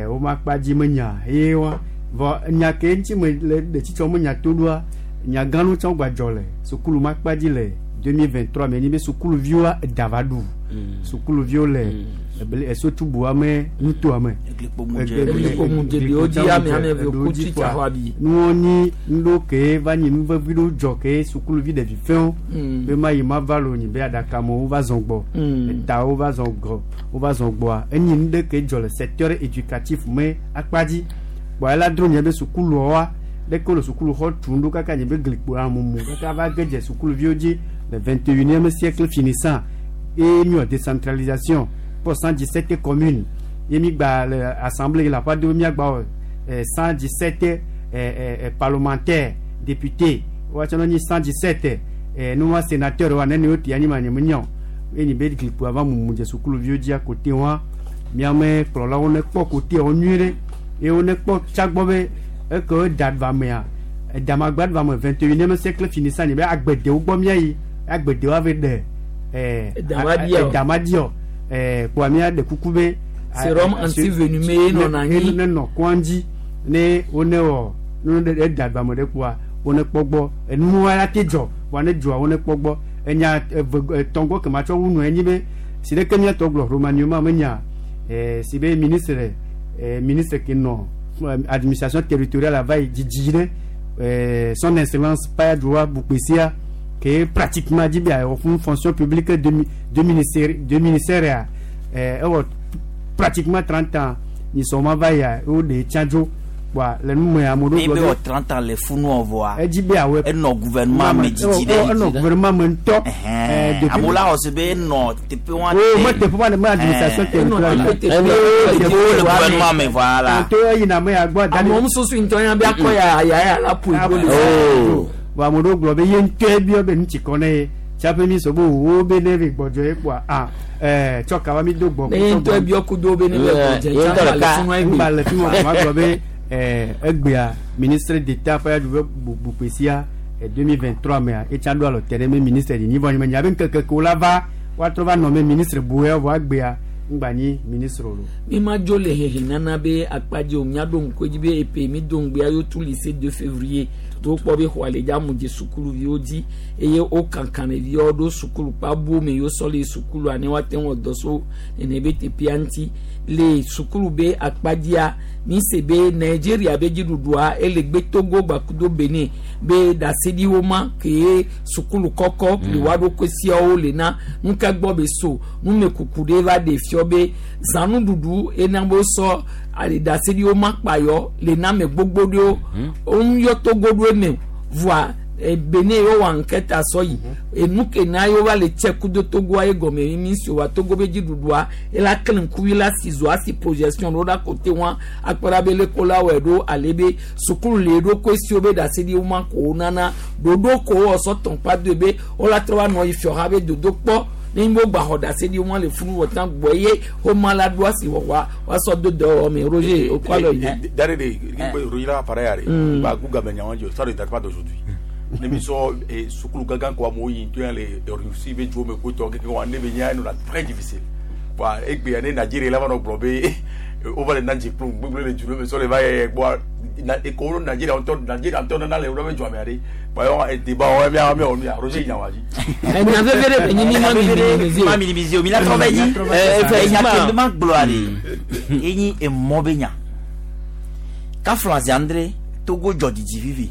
wo ma kpa dzi me nya ye wa vɔ nya ke ŋuti me le ɖe tsitsa wo me nya to ɖoa nya gã ɖewo tsã wo gba dzɔ le sukulu ma kpa dzi le 2023 me nyi be sukuluviwoa eda va ɖu sukuluviwo le esotubua me nutoa me. Eglikpo ɖewo dzi ame eve ku tsitsa xɔ abi. Nuwo nyi nuɖewo ke va nyi nu vevi ɖewo dzɔ ke sukuluvi ɖevi fɛ̃wo be ma yi ma va lo nyi be aɖakamewo va zɔn gbɔ etawo va zɔn gbɔ wo va zɔn gbɔa enyi nu ɖe ke dzɔ le secteur éducatif me akpa dzi kpɔ ela dro nye be sukuluawoa ɖeke wole sukuluxɔ tum ɖo kaka nye be glikpo amumu kaka va ge dze sukuluviwo dzi le 21e siècle finissant et mi wɔ décentralisation pour 117 communes ye mi gba le assemblée la ƒe aɖewo miagba wɔ 117 parlementaires, députés woatsɔ ne nyi 117 nua sénateur wa nene wo tia nyi ma nye me nya o ye nyi be glikpo ava mumu dze sukuluviwo dzia kote wa miame kplɔlawo ne kpɔ koteawo nyuie ɖe ye wo ne kpɔ tsagbɔ be eke wo da va mea edamagba va me 21e siècle finissant nye be agbedewo gbɔ miayi agbedewo ave ɖe Edamadia o. edamadia kpoa mía ɖe kuku be Sérum antivenimeux ye nɔna anyi. Ne nɔ kɔn dzi ne wo ne wɔ ne ɖe eda va me ɖe kpoa wo ne kpɔ gbɔ enuwa la te dzɔ voa ne dzɔa wo ne kpɔ gbɔ enya eve etɔ̃ gbɔ ke ma tsɔ wu nu enyi be si ɖeke míatɔ gblɔ remaniement menya si be ministre ke nɔ administration territoriale ava yi dzidzi ɖe Son Excellence Payadoua Boukpessia ke pratiquement dzi be awɔ fún fonction publique de ministère ya ewɔ pratiquement 30 ans nyisɔ ma va yia wo ɖe tsã dzo kpoa le nu me ame ɖewo Ne be gblɔ wɔ be 30 ans le funu vɔa edzi be awɔe enɔ gouvernement me dzidzi ɖe enɔ gouvernement me ŋutɔ Ɛhɛn. Amewo la xɔ se be enɔ teƒe wa o me teƒe ma ne me administration territoriale teƒe le gouvernement me voilà. to eyina me ya gbɔ da Amewo susu ŋutɔ ya be akɔ ya ya ya la ƒo igbo le. Oh. Bon ame ɖewo gblɔ be ye ŋutɔe biɔ be nu tsi kɔ ne ye tsaƒe mi sɔ be wo be ne be gbɔdzɔ ye kpoa ah tsɔ kaba mi do gbɔ. Ne ye ŋutɔ biɔ kudo be ne be gbɔdzɛ Ye ŋutɔ tsã le ɖeka. funu egbe. Ŋgba le fi ma ma gblɔ be egbea ministre d'état ƒe aɖu Boukpessia 2023 mea etsa ɖo alɔ te ɖe me ministre dzi vɔ nye be ŋkeke ko la va woatrɔ va nɔ me ministre bu ya vɔ egbea ŋgba nyi ministre o lo. Mi ma dzo le hehe nana be akpadzi o miaɖo ŋku edzi be epe mi do ŋgbea yo tu lycée 2 février. Do kpɔ be xɔa le dza mu dze sukuluviwo dzi eye wo kankan ɖeviwo ɖo sukulu kpabu me yewo sɔ le sukulua ne woate ŋu dɔ so nene be teƒea ŋuti le sukulu be akpadzia mi se be Nigeria be dziɖuɖua ele gbe Togo gbakudo Benin be ɖaseɖiwo ma ke sukulu kɔkɔ le wa ɖo kosiawo le na nuka gbɔ be so numekuku ɖe va ɖe fiɔ be zanuɖuɖu ena be sɔ ale ɖaseɖiwo ma kpayɔ le na me gbogbo ɖewo woŋu Togo ɖo eme voa Benin yewo wɔ ankɛta sɔ yi enu ke na yewo va le tse kudo Togoa ye gɔme mi si wa Togo be dziɖuɖua ela kele ŋkuvi la si zo asi projection ɖo ɖa kote wa akpɔra be le ko la wɔe ɖo ale be sukulu le ɖo ko esiwo be ɖaseɖiwo ma ko wo nana ɖoɖo ko wɔ sɔ tɔn kpa do be wola trɔ va nɔ yi fiɔ ha be dodo kpɔ ne wo gba xɔ ɖaseɖiwo ma le funu wɔ tã gbɔ ye wo ma la ɖo asi wɔwɔ wa sɔ do dɔ wɔ me Roger o kɔ alɔ yi. D'ailleurs, Roger là, pareil, bah, Google, ça ne date pas d'aujourd'hui. Ne mi sɔ sukulu gangan ko amewo yi to yan le Russie be dzo me ko tɔ keke wa ne be nya no la très difficile. Bon, egbe ne Nigeria la va nɔ gblɔ be o va le na dze kplɔ gbegble le dzu me sɔ le va yɛ gbɔ na eko Nigeria ŋutɔ Nigeria ŋutɔ nana le wòle be dzɔame aɖe. Bon, yɔ débat wɔ mi mi wɔ nu ya Roger yi nya wa dzi. Enya veve ɖe be nyi mi ma minimiser o. Ma minimiser o mi la trɔ bɛ dzi. Effectivement. Enya ke ma gblɔa de enyi emɔ be nya. Kafla Andre Togo dzɔ didi vivi.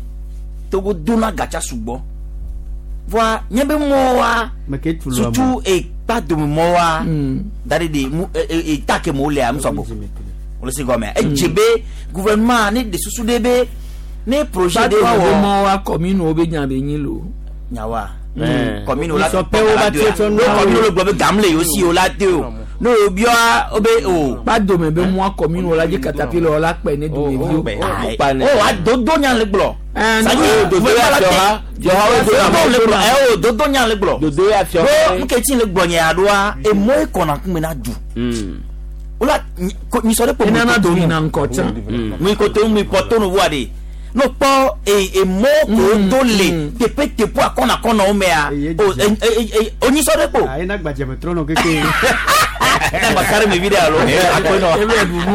Togo dona gatsa sugbɔ. Voa nye be mɔwa Me ke tu lo surtout ekpa dome mɔwa da de de mu eta ke mo lea musɔgbɔ. O le se gɔmɛ. Edze be gouvernement ne de susu de be ne projet de wa Kpadome be wɔ mɔ wa commune wo be nya be nyi lo. nyawa. Commune o la Sɔ pe wo ba tie tsɔ no nu commune o le gblɔ be gam le yewo si o la te o. Ne o bia o be o. Kpadome be mɔa commune wo la dzi katapila wo la kpɛ ne dumeviwo. O wa dodo nya le gblɔ. Ɛɛ, Dodo ya fiɔ ha fiɔ ha wo do Dodo le gblɔ na ɛ o dodo nya le gblɔ. dodo ya fiɔ Ɖo ha. nketsi le gblɔ nye aɖoa emɔ ye kɔna kume na du. Wala nyisɔ ɖe kpo enana mu du koto yina ŋkɔ tsã. nu mu koto nu mu pɔtɔ nu voa de. No kpɔ emɔ ko do le teƒe teƒe akɔna akɔna wo mea Eye o dzidzi. o nyisɔ ɖe kpo. Ayi na gbadze me trɔ nɔ keke. Ne ma kari mi vi ɖe alo akɔnɔ. Ebe ɖuɖu.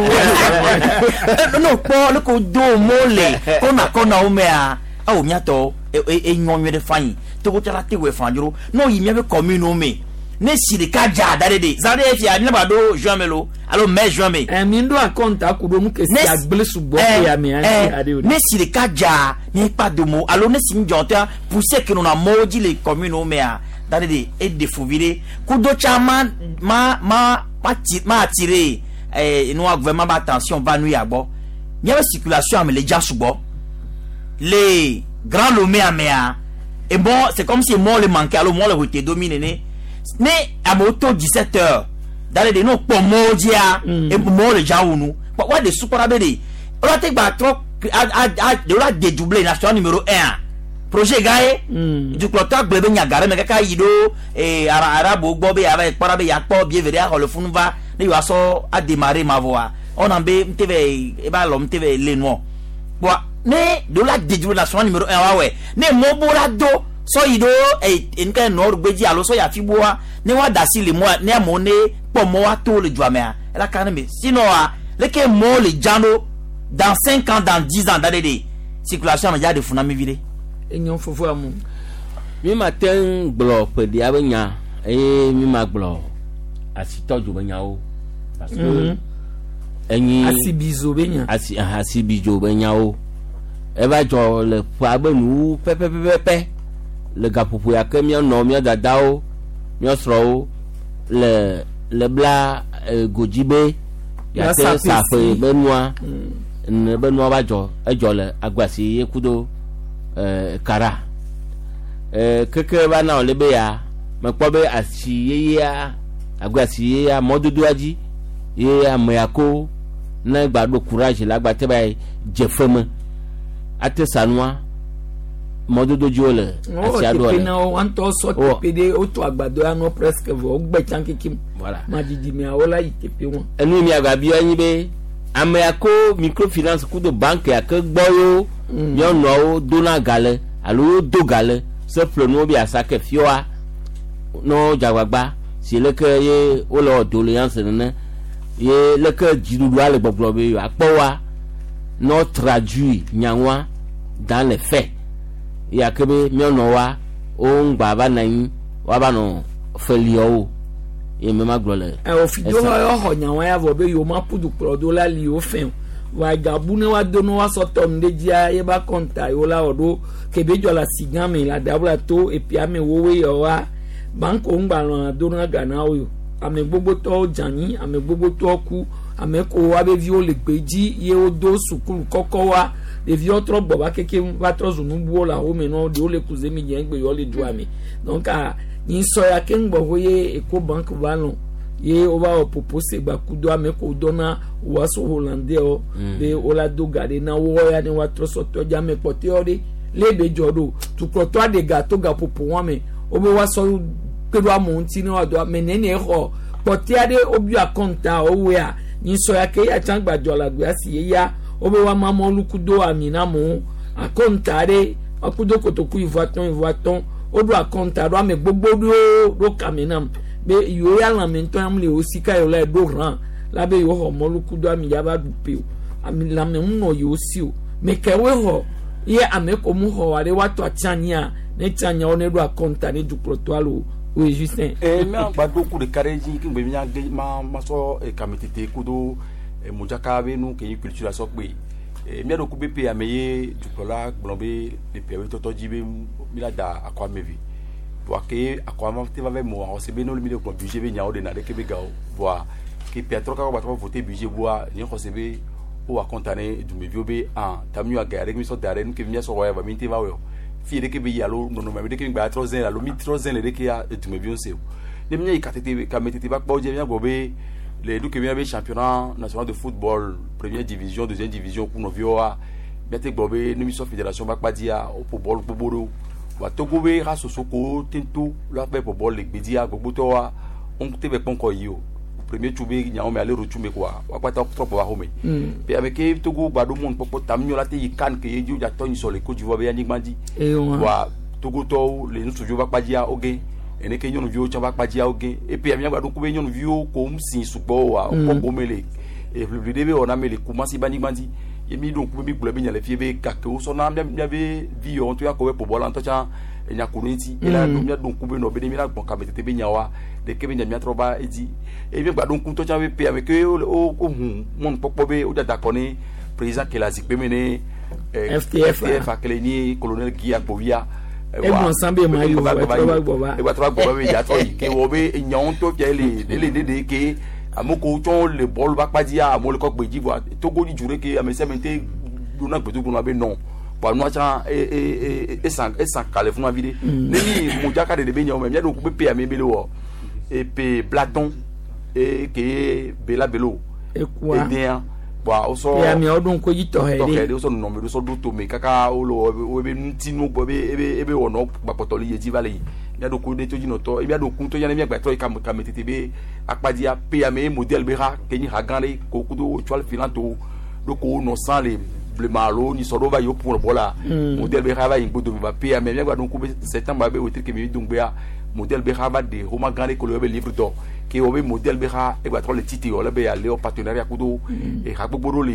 No kpɔ ne ko do mɔ le kɔna kɔna wo mea awo miatɔ enyɔ nyuie ɖe fa yi togotsala te wɔ fan dzro n'o yi miaƒe commune wo me ne si ɖeka dza da ɖe de zan ɖe fia ne ba ɖo juin me lo alo mai juin me. Ɛ mi ɖo akɔnta ku ɖo nu ke si agble sugbɔ ke ya me anti aɖe o. ne si ɖeka dza miekpa domo alo ne si ŋdzɔ tea poussière ke nɔna mɔwo dzi le commune wo mea da ɖe de eɖe fu vi ɖe kudo tsa ma ma ma ma ti ma attirer nua gouvernement ba attention va nu ya gbɔ miaƒe circulation ame le dza sugbɔ le Grand Lomé amea et bon c'est comme si mɔ le manqué alo mɔ le rete domi nene ne amewo to 17 heures da ɖe de ne wokpɔ mɔwo dzia mɔwo le dza wu nu wa de sukpɔra be de wala te gba trɔ a a a de wala dédoubler national numéro 1 projet gã ye dukplɔtɔ gblɔ be nyaga ɖe me kaka yi ɖo ara arabu gbɔ be yava kpɔra be yakpɔ bie ve ɖe axɔ le funu va ne yewoa sɔ adémarrer ma vɔa ɔna be ŋte vɛ eba lɔ ŋte vɛ le nuɔ bɔn ne de wala dédoubler national numéro 1 wa wɛ ne mɔ bo la do sɔ yi ɖo nuka nord gbedzi alo sɔ yi afi boa ne wa da asi le mɔa ne amewo ne kpɔ mɔ wa to le dua mea ela ka ne me sinon wa leke mɔwo le dza ɖo dans 5 ans, dans 10 ans da ɖe de circulation ame dza ɖe fu na mi vi ɖe. Enyo fofo amu. Mi ma te ŋu gblɔ ƒeɖia be nya eye mi ma gblɔ asitɔdzo be nyawo parce que enyi Asibizo be nya. asi asibidzo be nyawo eva dzɔ le ƒea be nuwu pɛpɛpɛpɛ le gaƒoƒo ya ke míanɔ mía dadawo mía srɔ̃wo le le bla godzi be yate Ya saƒe saƒe be nua ne be nua va dzɔ edzɔ le agbasi ye kudo kara keke va na wòle be ya mekpɔ be asi yeyea agbasi yeyea mɔdodoa dzi ye ame ya ko ne gba ɖo courage la gba te va yi dze fe me ate sanua mɔdodo dzi wole Wɔ asia ɖo teƒe le na wo ŋutɔ sɔ Wɔ. teƒe ɖe wotu agbadɔ ya nɔ presque vɔ wogbe tsã kekem. Voilà. Madzidzi wo la yi teƒe wɔn. Enu yi miagba bia nyi be ame ya ko microfinance kudo banque ya ke gbɔ yewo nyɔnuawo dona ga le alo wo do ga le se ƒle nuwo be asa ke fioa ne wo dzagbagba si leke ye wole wɔ doléance nene ye leke dziɖuɖua le gbɔgblɔ be yewoakpɔ wa ne wo traduit nyaŋua dans les faits. Ya ke be míanɔ wa wo ŋgba va nɔ anyi woava nɔ feliawo ye me ma gblɔ le. Ofido yɔ xɔ nyawo ya vɔ be yewo ma ƒu dukplɔ do la li wo fɛ o. Wa gabu ne wa do ne wa sɔ tɔ nu ɖe dzia ye ba kɔnta yewo la wɔ ɖo kebe dzɔ le asi gã me le aɖabla to epia me wowoe yɔ wa banko ŋgbalẽ do na ga na wo yo. Ame gbogbotɔwo dze anyi, ame gbogbotɔwo ku, ame ko wa be viwo le gbedzi ye wodo sukulu kɔkɔ wa ɖeviwo trɔ gbɔ va keke va trɔ zu nubuwo le axome nɔ ɖewo le kuze mi dze egbe yewo le dua me. Donc nyi sɔ ya keŋ gbɔ ye Ecobank va lɔn ye wova wɔ popose gba kudo ame ko dɔna woaso hollandais wo be wola do ga ɖe na wo ya ne woatrɔ sɔtɔ dzi ame kpɔtɔewo ɖe le be dzɔ ɖo tukplɔtɔ aɖe ga to gaƒoƒo wɔn me wobe woasɔ kpe ɖo amewo ŋuti ne woado ame nene xɔ kpɔtɔe ɖe wobiɔ akɔnta wowoea nyi sɔ ya ke ya tsã gbadzɔ le agbea si ye ya wobe woama mɔlu kudo ami na amewo akɔnta ɖe akudo kotoku 50 50 woɖo akɔnta ɖo ame gbogbo ɖewo ɖo kame nam be yewo ya lãme ŋutɔ ya le yewo sika yewo la ɖo rã la be yewo xɔ mɔlu kudo ami ya va ɖu pe o ami lãme ŋu nɔ yewo si o me kewoe xɔ ye ame ko mu xɔ wa ɖe woatɔ atsi anyia ne tsi anyia wo ne ɖo akɔnta ne dukplɔtɔ alo oye Justin. Ee mía gba ɖo ku ɖeka ɖe dzi ke ŋgbe mía ge ma ma sɔ kametete kudo modzaka be nu ke nyi culture sɔ kpe. Mía ɖo ku be pe ame ye dukplɔla gblɔ be le pe be tɔtɔ dzi be mi la da akɔ ame ve. Voa ke akɔ ame te va ve mo xɔse be ne mi le gblɔ budget be nyawo ɖena ɖeke be gawo. Voa ke pe atrɔ kaka gba trɔ voter budget boa nye xɔse be wo wa kɔnta ne dumeviwo be ah ta mi wa ga ɖe mi sɔ da ɖe nu ke mía sɔ wɔ ya va mi te va wɔ o. Fi ɖeke be yi alo nɔnɔme ɖeke mi gba trɔ zẽ alo mi trɔ zẽ le ɖeke ya dumeviwo se o. Ne mi yi katete kametete va kpɔ dze mía gbɔ be le ɖo ke mía be championnat national de football première division, deuxième division ku nɔviwo wa míate gblɔ be ne mi sɔ fédération va kpa dzia woƒo bɔlu gbogbo ɖewo. Wa Togo be ha soso ko te to la ƒe ƒo bɔlu le gbedzia gbogbotɔ wa wo te be kpɔ ŋkɔ yi o. Premier tsu be nyawo me ale ro tsu me koa wa kpata trɔ gbɔ va xɔme. Pe ame ke Togo gba ɖo mɔnukpɔkpɔ tam nyɔ la te yi kan ke ye dzi wodza tɔ nyisɔ le Côte d'Ivoire be anyigba dzi. Ewa. Wa Togotɔwo le ŋutsuviwo va kpa dzia wo ge ene ke nyɔnuviwo tsã va kpa dzia wo ge epe ame gba ɖo ku be nyɔnuviwo ko ŋu si sugbɔ wa wokpɔ gome le eʋliʋli ɖe be wɔna me le Kumasi be anyigba dzi ye mi ɖo ŋku be mi gblɔ be nya le fie be gake wosɔna mía míabe vi yawo ŋutɔ ya kɔ be ƒo bɔl la ŋutɔ tsã enya ku ɖe ŋuti ye la ɖo mía ɖo ŋku be nɔ be ne mi la gbɔn kametete be nyawoa ɖeke be nya mía trɔ va edzi eye mi gba ɖo ŋku ŋutɔ tsã be pe ame ke wo wo hu mɔnukpɔkpɔ be wodza da kɔ ne président ke le azikpe me ne FTF. FTF akele ni colonel Guy Agbovia. Egblɔ sã be ma yi o, etrɔ va gbɔ va. Egba trɔ va gbɔ va be ya trɔ yi ke wɔ be nyawo ŋutɔ fia ele ele ɖeɖe ke ame ko tsɔ le bɔlu va kpa dzia amewo le kɔ gbe dzi voa Togo dzi dzu ɖe ke ame sia ame te ɖona gbedodo na be nɔ voa nua tsã e e e esan esan ka le funu vi ɖe ne mi modzaka ɖeɖe be nyawo me mía ɖo ŋku be pe ame be le wɔ epe blatɔn e ke bela belo Ekua. edea voa wosɔ Pe ameawo ɖo ŋku edzi tɔxɛ tɔxɛ ɖe. ɖe wosɔ nɔnɔme ɖe sɔ ɖo tome kaka wole wɔ wo be ŋutinu gbɔ ebe ebe ebe wɔnɔ gbakpɔtɔ le yi dzi va le yi míaɖo ku ɖe todzinɔtɔ míaɖo ku ŋutɔ ya ne míagbãtɔ yi kame kametete be akpadzia pe ame ye modèle be ha ke nyi ha gã ɖe ko kudo étoile filante wo ɖo ko wonɔ sã le blema alo nyisɔ ɖewo va yi woƒo bɔ la modèle be ha va yi ŋgbodo va pe ame míagba ɖo ŋku be septembre be wetri kemi do ŋgbea modèle be ha va ɖe xoma gã ɖe ko le yɔ be livre d'or ke wɔ be modèle be ha egbatrɔ le tite wɔ le be ale wɔ partenariat kudo eha gbogbo ɖewo le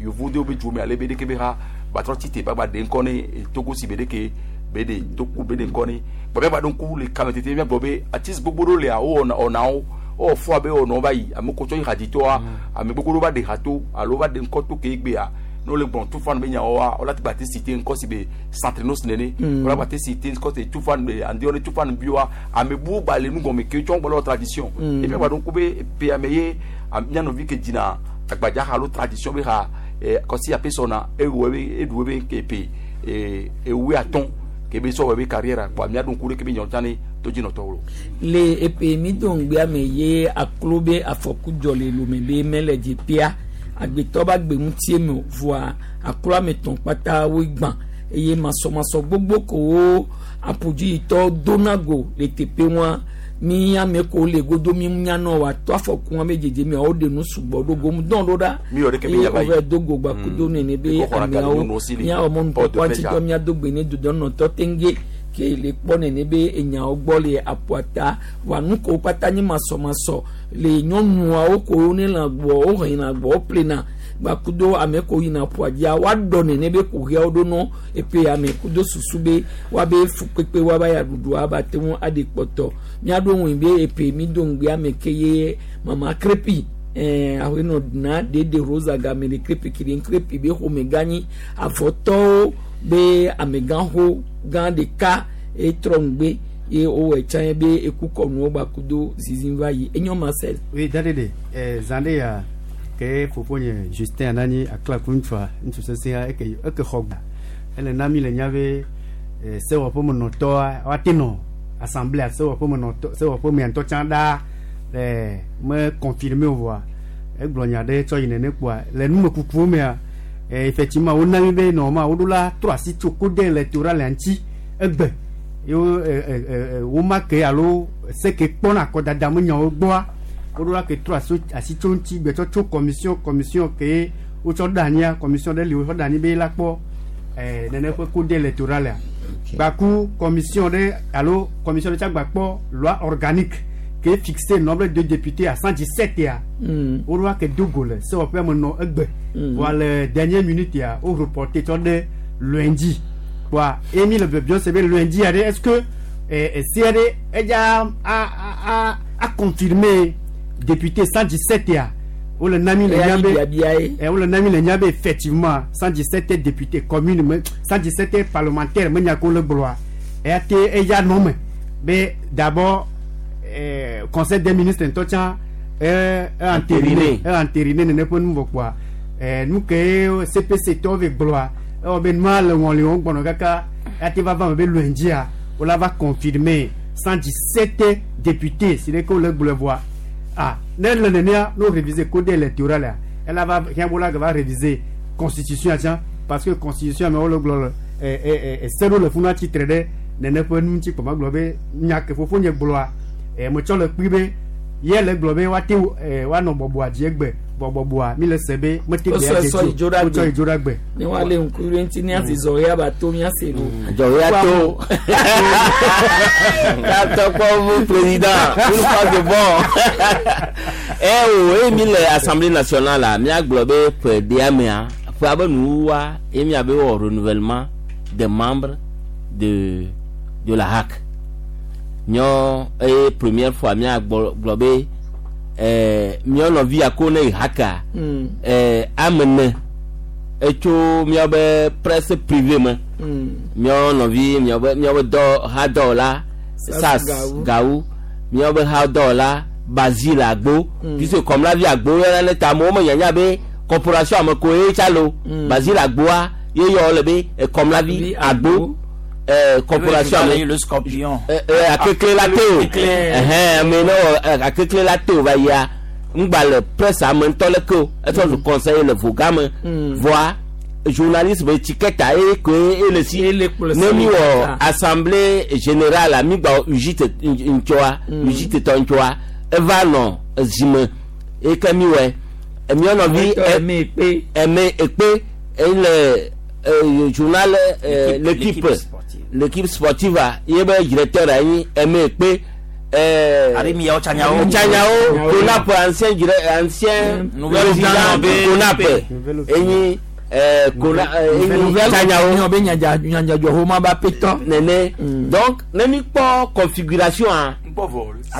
yevu ɖewo be dzo me ale be ɖeke be ha gbatrɔ tite ba gba ɖe ŋkɔ ne Togo si be ɖeke be ɖe Togo be ɖe ŋkɔ ne bɔn míagba ɖo ŋku le kametete míagblɔ be artiste gbogbo ɖewo lea wo wɔna ɔnawo wowɔ fɔ abe wɔnɔ va yi ame ko tsɔ yi hadzitɔa ame gbogbo ɖewo va ɖe ha to alo va ɖe ŋkɔ to ke egbea ne wole gbɔn tufan be nyawoa wola te gba te cité ŋkɔ si be Santrinos nene wola gba te cité ŋkɔ si tufan be andiɔ ne tufan biwa ame buwo gba le nu gɔme ke tsɔ gbɔ le tradition et puis gba ɖo ŋku be pe ame ye mía nɔvi ke dzina agbadza ha alo tradition be ha kɔsi ape sɔna ewɔ ebe eɖu ebe ke pe ewoe atɔ̃ ke be sɔ wɔ ebe carrière kpoa mía ɖo ŋku ɖe ke be nyawo tsã ne todzinɔtɔwo lo. Le epe mi do ŋgbea me ye aklo be afɔku dzɔ le lome be mele dzi pia agbetɔ ba gbe ŋutie me o voa aklo ame tɔn kpata woe gbã eye masɔmasɔ gbogbo kowo aƒudziyitɔ dona go le teƒe wa mi ame ko le godo mi nyanɔ wa tɔ afɔku wa be dzedze mia wo ɖe nu sugbɔ ɖo gom dɔn ɖo ɖa Mi yɔ ɖeke be eye nya va yi. wova do go gba kudo nene be Ekɔ xɔna ka ameawo nyɔnuwo si le miawɔ mɔnukpɔkpɔ porte de ŋutitɔ miado gbe ne dodɔnɔtɔ tenge ke le kpɔ nene be enyawo gbɔ le aƒua wa nu ko kpata nye masɔmasɔ le nyɔnuawo ko ne lã gbɔ wo hɛn lã gbɔ wo ƒlena gbakudo ame ko yina ƒua dzia woaɖɔ nene be kuxiawo ɖo nɔ eƒe ya me kudo susu be woabe fukpekpe woaba ya ɖuɖu aba te ŋu aɖe kpɔtɔ míaɖo ŋui be eƒe mi do ŋugbe ame ke ye mama krepi ɛɛ ahenɔ na dede rosa game le krepi kiri krepi be xɔme gã nyi avɔtɔwo be amegãxo gã ɖeka etrɔ ŋugbe ye wowɔ tsã ye be ekukɔnuwo gbakudo zizim va yi enyo marcel. Oui, dadede, zan ɖe ya ke fofonye Justin ananyi aklaku ŋutsua ŋutsu sesẽ eke eke xɔ gba ele na mi le nya be sewɔƒemenɔtɔa woate nɔ assemblée sewɔƒemenɔtɔ sewɔƒemea ŋutɔ tsã ɖaa me confirmé o vɔa egblɔ nya ɖe tsɔ yi nene kpoa le numekukuwo mea effectivement wona mi be nɔma woɖo la trɔ asi tso code électoral ŋuti egbe ye wo woma ke alo se ke kpɔna akɔdada me nyawo gbɔa woɖo la ke trɔ asi tso ŋuti gbetsɔ tso commission commission ke wotsɔ ɖe anyia commission ɖe li wotsɔ ɖe anyi be la kpɔ nene ƒe code électoral ya gbaku commission ɖe alo commission ɖe tsa gba kpɔ loi organique ke fixe nombre de députés à 117 ya woɖo la ke do go le sewɔƒea me nɔ egbe voa le dernière minute ya wo reporté tsɔ ɖe lundi kpoa emi le biɔbiɔ se be lundi ya ɖe est ce que esia ɖe edza a confirmer député 117 ya wole na mi le nya be wole na mi le nya be effectivement 117 député commune me 117 parlementaire me nya ko le gblɔa eya te eya nɔ me be d'abord conseil des ministres ŋutɔ tsã entériné entériné nene ƒe nu vɔ kpoa nu ke CPC tɔwo ve gblɔa ewɔ be nua le ŋɔliwo gbɔnɔ kaka eya te va va me be lundia wola va confirmer 117 députés si ɖe ke wole gblɔe vɔa ah ne le nenea no réviser code électoral ya ela va hiã la va réviser constitution ya tsã parce que constitution me wole gblɔ le ese ɖo le funu atsitre ɖe nene ƒe nu ŋuti kpɔ gblɔ be nya ke fofo nye gblɔa metsɔ le kpui be ye le gblɔ be woate woanɔ bɔbɔa dzi egbe bɔbɔbɔa mi le se be mete gbe adze dzi o wotsɔ yi dzo ɖa gbe. Ne woale ŋku ɖe ŋuti ne asi zɔ ya ba to miase lo. Zɔ ya to. Katɔkpɔvu président une fois de bon. Eh o eye mi le assemblée nationale la miagblɔ be ƒe ɖea mea ƒe abe nuwuwua ye miabe wɔ renouvellement des membres de la HAC. Miɔ eye première fois miagblɔ be miɔ nɔvi yako ne yi HAC-a ame ne etso miabe presse privée me miɔ nɔvi miabe dɔ hadɔwɔla sas gawu miabe hadɔwɔla Basile Agbo puisque kɔmlavi Agbo yɔna ne ta amewo me nyanya be corporation ame ko ye tsa lo Basile Agboa ye yɔ le be kɔmlavi Agbo corporation ame le scorpion akekle la te o ɛhɛn ame ne wɔ akekle la te o va yia ŋgba le presse ame ŋutɔ le ke o etsɔ zu conseiller le voga me voa journaliste be tikɛta ye koe ele si ne mi wɔ assemblée générale mi gba UJT ŋtsɔa UJT tɔ ŋtsɔa eva nɔ zime eye ke mi wɔe miɔ nɔvi ɛmɛ ekpe ele journal l'équipe l'équipe sportive ye be directeur anyi ɛmɛ ekpe Arimiyawo Tsanyawo Tsanyawo Konap ancien ancien président Konap enyi Kona enyi Tsanyawo be nyadzadzɔ homa ba petɔ nene donc ne mi kpɔ configuration a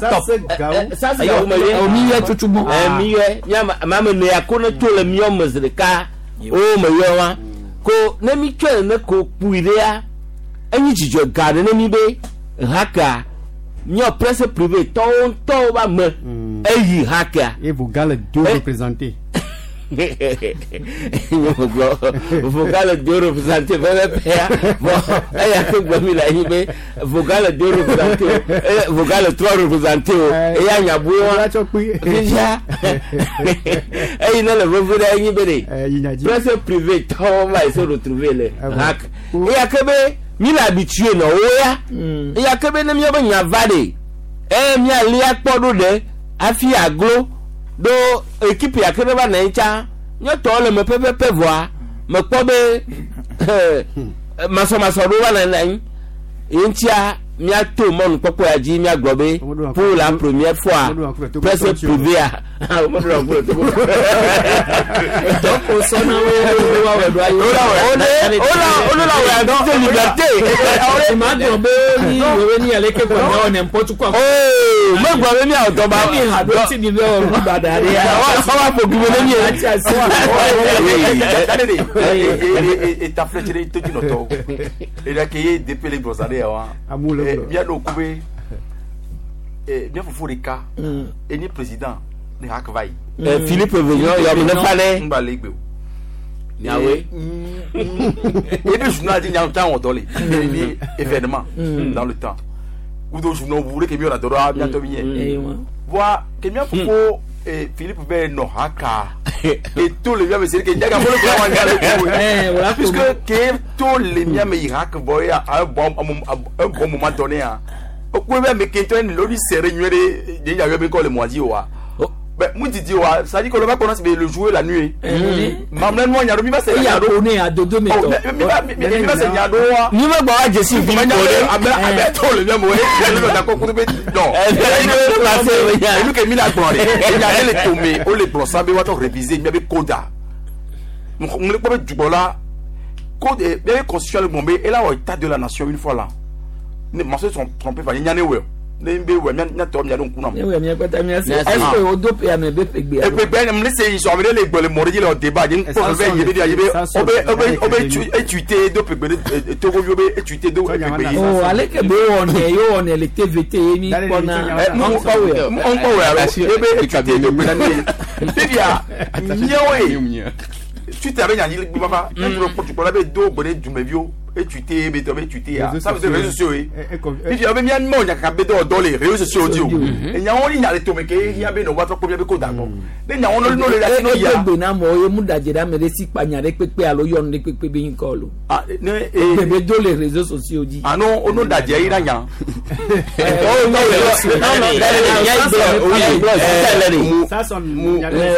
ça c'est gawo ça c'est gawo me ye mi yɛ tutu gbɔn mi yɛ mia ame ne ya ko ne tso le miɔ me zi ɖeka wo me yɔ wa ko ne mi tsɔe ne ko kpui ɖea enyi dzidzɔ gã ɖe ne mi be haka miɔ presse privée tɔwo ŋutɔwo ba me eyi haka. Et Vogal le deux représentés. Gblɔ Vogal le deux représentés pɛpɛpɛ bon eya ke gblɔ mi le anyi be Vogal le deux représentés o Vogal le trois représentés o eya nyabu wa fifia eyi ne le veve ɖe enyi be de presse privée tɔwo va yi se retrouver le hak eya ke be mi le habitué nɔ wo ya eya ke be ne miabe nya va de eye mialia kpɔ ɖo ɖe hafi aglo ɖo équipe ya ke ne va nɔ anyi tsã nyɔtɔwo le me pɛpɛpɛ vɔa mekpɔ be masɔmasɔ ɖo va nɔ anyi ye ŋutia Míato mɔnukpɔkpɔ ya dzi míagblɔ be pour la première fois presse privée a womeɖo ŋku le Togo. Donc o sɔnna wo wa wɛ do ayi. Wole la wɛ de liberté. Ma dɔn be ni wewe ni ale ke kɔni awɔ n'importe quoi. Oo megblɔ be míawɔ dɔ ba. Mi ha do ti mi bɛ wɔ nu ba da de ya. Wa ƒo gbe ne mi ye. Eta filɛ tse to dzinɔtɔwo eɖe ke ye depe le gbɔza ɖe ya wa Amewo le gblɔ. míaɖo ku be mía fofo ɖeka enye président ne hak va yi Philippe Vignon yɔ mi ne fa ɖe. ŋgba le egbe o Miawoe. ebe journal di nya tan wɔdɔ le ni événement dans le temps kudo journal bu ɖe ke mi wɔna dɔ ɖo miatɔ mi Eyi yɛ wa. voa ke mía fofo Philippe bɛ nɔ haka eto le mía me se ke nyaga fɔlɔ kura wa nya le Eh, ko wòle puisque ke to le mía me yi hak bɔ ya un bon un bon moment donné ah o ko bɛ me ke tɔ ni lori sere nyuie ɖe de nya yɔ be kɔ le mɔ dzi wa bɛ mu didi wa c'est à dire que le va connaître le jour et la nuit mamlɛ nua nya ɖo mi va se Eya nya ɖo ko ne adodo mi Oh, tɔ. mi va mi va se nya ɖo wa Ni me gbɔ wa dzesi Philippe o ɖe. ame ame to le mía me o ye le da kɔ kudo be non enu ke mi la gblɔ de enya ɖe le tome o le gblɔ sa be woatɔ réviser mía be koda n le kpɔ be dugbɔla code mía be constitution le gblɔ be ela wɔ état de la nation une fois là ne ma se tromper fa nya ne wɔ ne be wɔ mía mía tɔ mía ɖo ŋku na Ne wɛ mía kpata mía se. Mía se. Est-ce que o do pe ame be pe gbe alo? epe bɛ n se yi sɔn ame ɖe le gbɔ le mɔ ɖe dzi le wɔ débat ye nkpɔ fɛn ye be ye be o be o be o be etuite do pegbe ɖe togoviwo be etuite do pegbe yi. Oh, ale ke be wɔnɛ ye wɔnɛ le TVT ye mi kpɔna. Ŋkpɔ wɛ alo ye be etuite do pegbe ɖe fifia míawoe tuite abe nyanyi gbe fafa ne duro kpɔ la be do gbe ɖe dumeviwo etuite be tɔ be etuite ya ça veut dire réseaux sociaux ye fifia be mía mɔ nyakaka be dɔ dɔ le réseaux sociaux dzi o enyawo ni nya le tome ke hiã be nɔ wa trɔ kpɔ mía be ko da gbɔ ne nyawo no le asi no E yia gbe na mɔ ye mu dadze ɖe ame ɖe si kpa nya ɖe kpekpe alo yɔnu ɖe kpekpe be ŋkɔ lo. ah ne Gbe be do le réseaux sociaux dzi. ano ono dadzɛ yi na nya.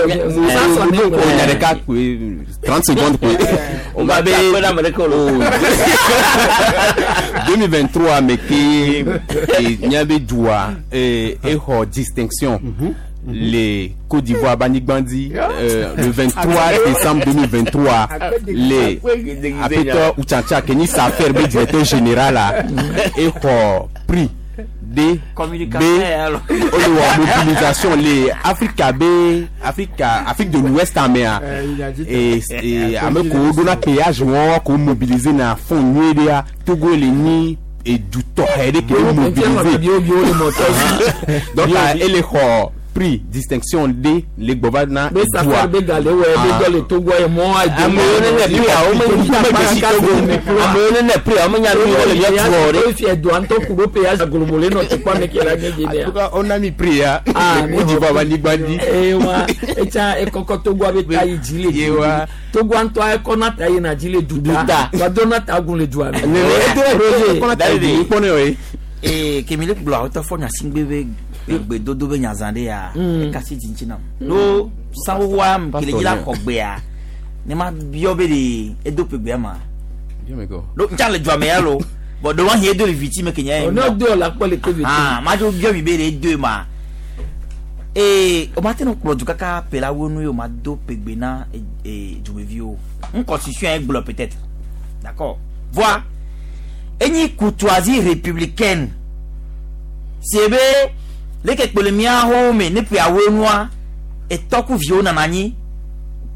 Nya ɖeka koe 30 secondes koe. O ma be akpe ɖe ame ɖeke o lo. 2023 me ke míabe dua exɔ distinction le Côte d'Ivoire Banigbandi le 23 décembre 2023 le Apetɔ Utsatsa ke nyi Safer be directeur général a exɔ prix D B olewɔ mobilisation le Africa be Africa Afrique de l'Ouest amea e ame kewo ɖona péage wɔn ko mobiliser na fond nyuie ɖea Togo le nyi edu tɔxɛ ɖe ke wo mobiliser Bio bio le mɔtɔ dzi. donc ele xɔ prix distinction D le gbɔva na Be dua Safer be gale wɔ be dɔ le Togo ye mɔ ayi. Amewo ne ne prix a wo me me dzesi Togo. Amewo ne ne prix a wo me nya nu yi wo le mía tu wɔ ɖe. O fiɛ do an tɔ kudo pe ya globole nɔ te kpɔ ame ke la nye dze en nea. tout cas on a mis prix ya Ah, le Côte d'Ivoire Banigbandi Ewa etsa ekɔkɔ Togoa be ta yi dzi le Ye du. wa. Togoa ŋutɔ ekɔ na ta yina dzi le duta. Duta. Wa do na ta gun le dua me. kɔnɔ ta yi kpɔnɛ o ye. Ee kemi le gblɔ awotɔ fɔ nyasigbe be gbedodo be nyazã ɖe ya ekasi dzi ŋuti nam ɖo sanwowoa kele dzi la xɔ gbea ne ma biɔ be de edo ƒegbea ma ɖo ntsa le dua me ya lo bɔn ɖo wa hi edo le viti me ke nye O ne do la kpɔ le TVT. ah ma dzo biɔ mi be de edo ma ee o ma te no kplɔ du kaka ƒe la wo nu ye o ma do ƒegbe na ee dumeviwo n constitution ye gblɔ peut-être d'accord voa enyi courtoisie républicaine sebe leke kpele míawo me ne ƒeawo nua etɔkuviwo nana anyi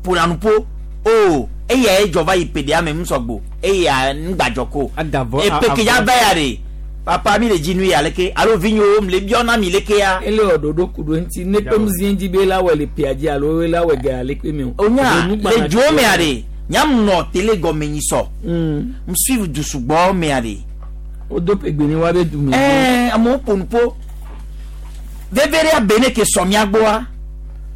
ƒona nuƒo o eya ye dzɔ va yi ƒe me ŋusɔgbo eya ŋgbadzɔ ko Adavɔ- epe ke ya va ya de papa mi le dzi nu ya leke alo vinyewo mi le biɔ na mi leke ya Ele wɔ ɖoɖo ku ɖo ŋuti ne kpem zi dzi be la wɔ le pia dzi alo la wɔ ga le kpe me o. onya le dzo mea de nyam nɔ tele gɔme nyi sɔ m suivi du sugbɔ mea de O do pe gbe ni wa be du me. ɛɛ amewo ƒo nuƒo veve ɖe abe ne ke sɔ mía gbɔa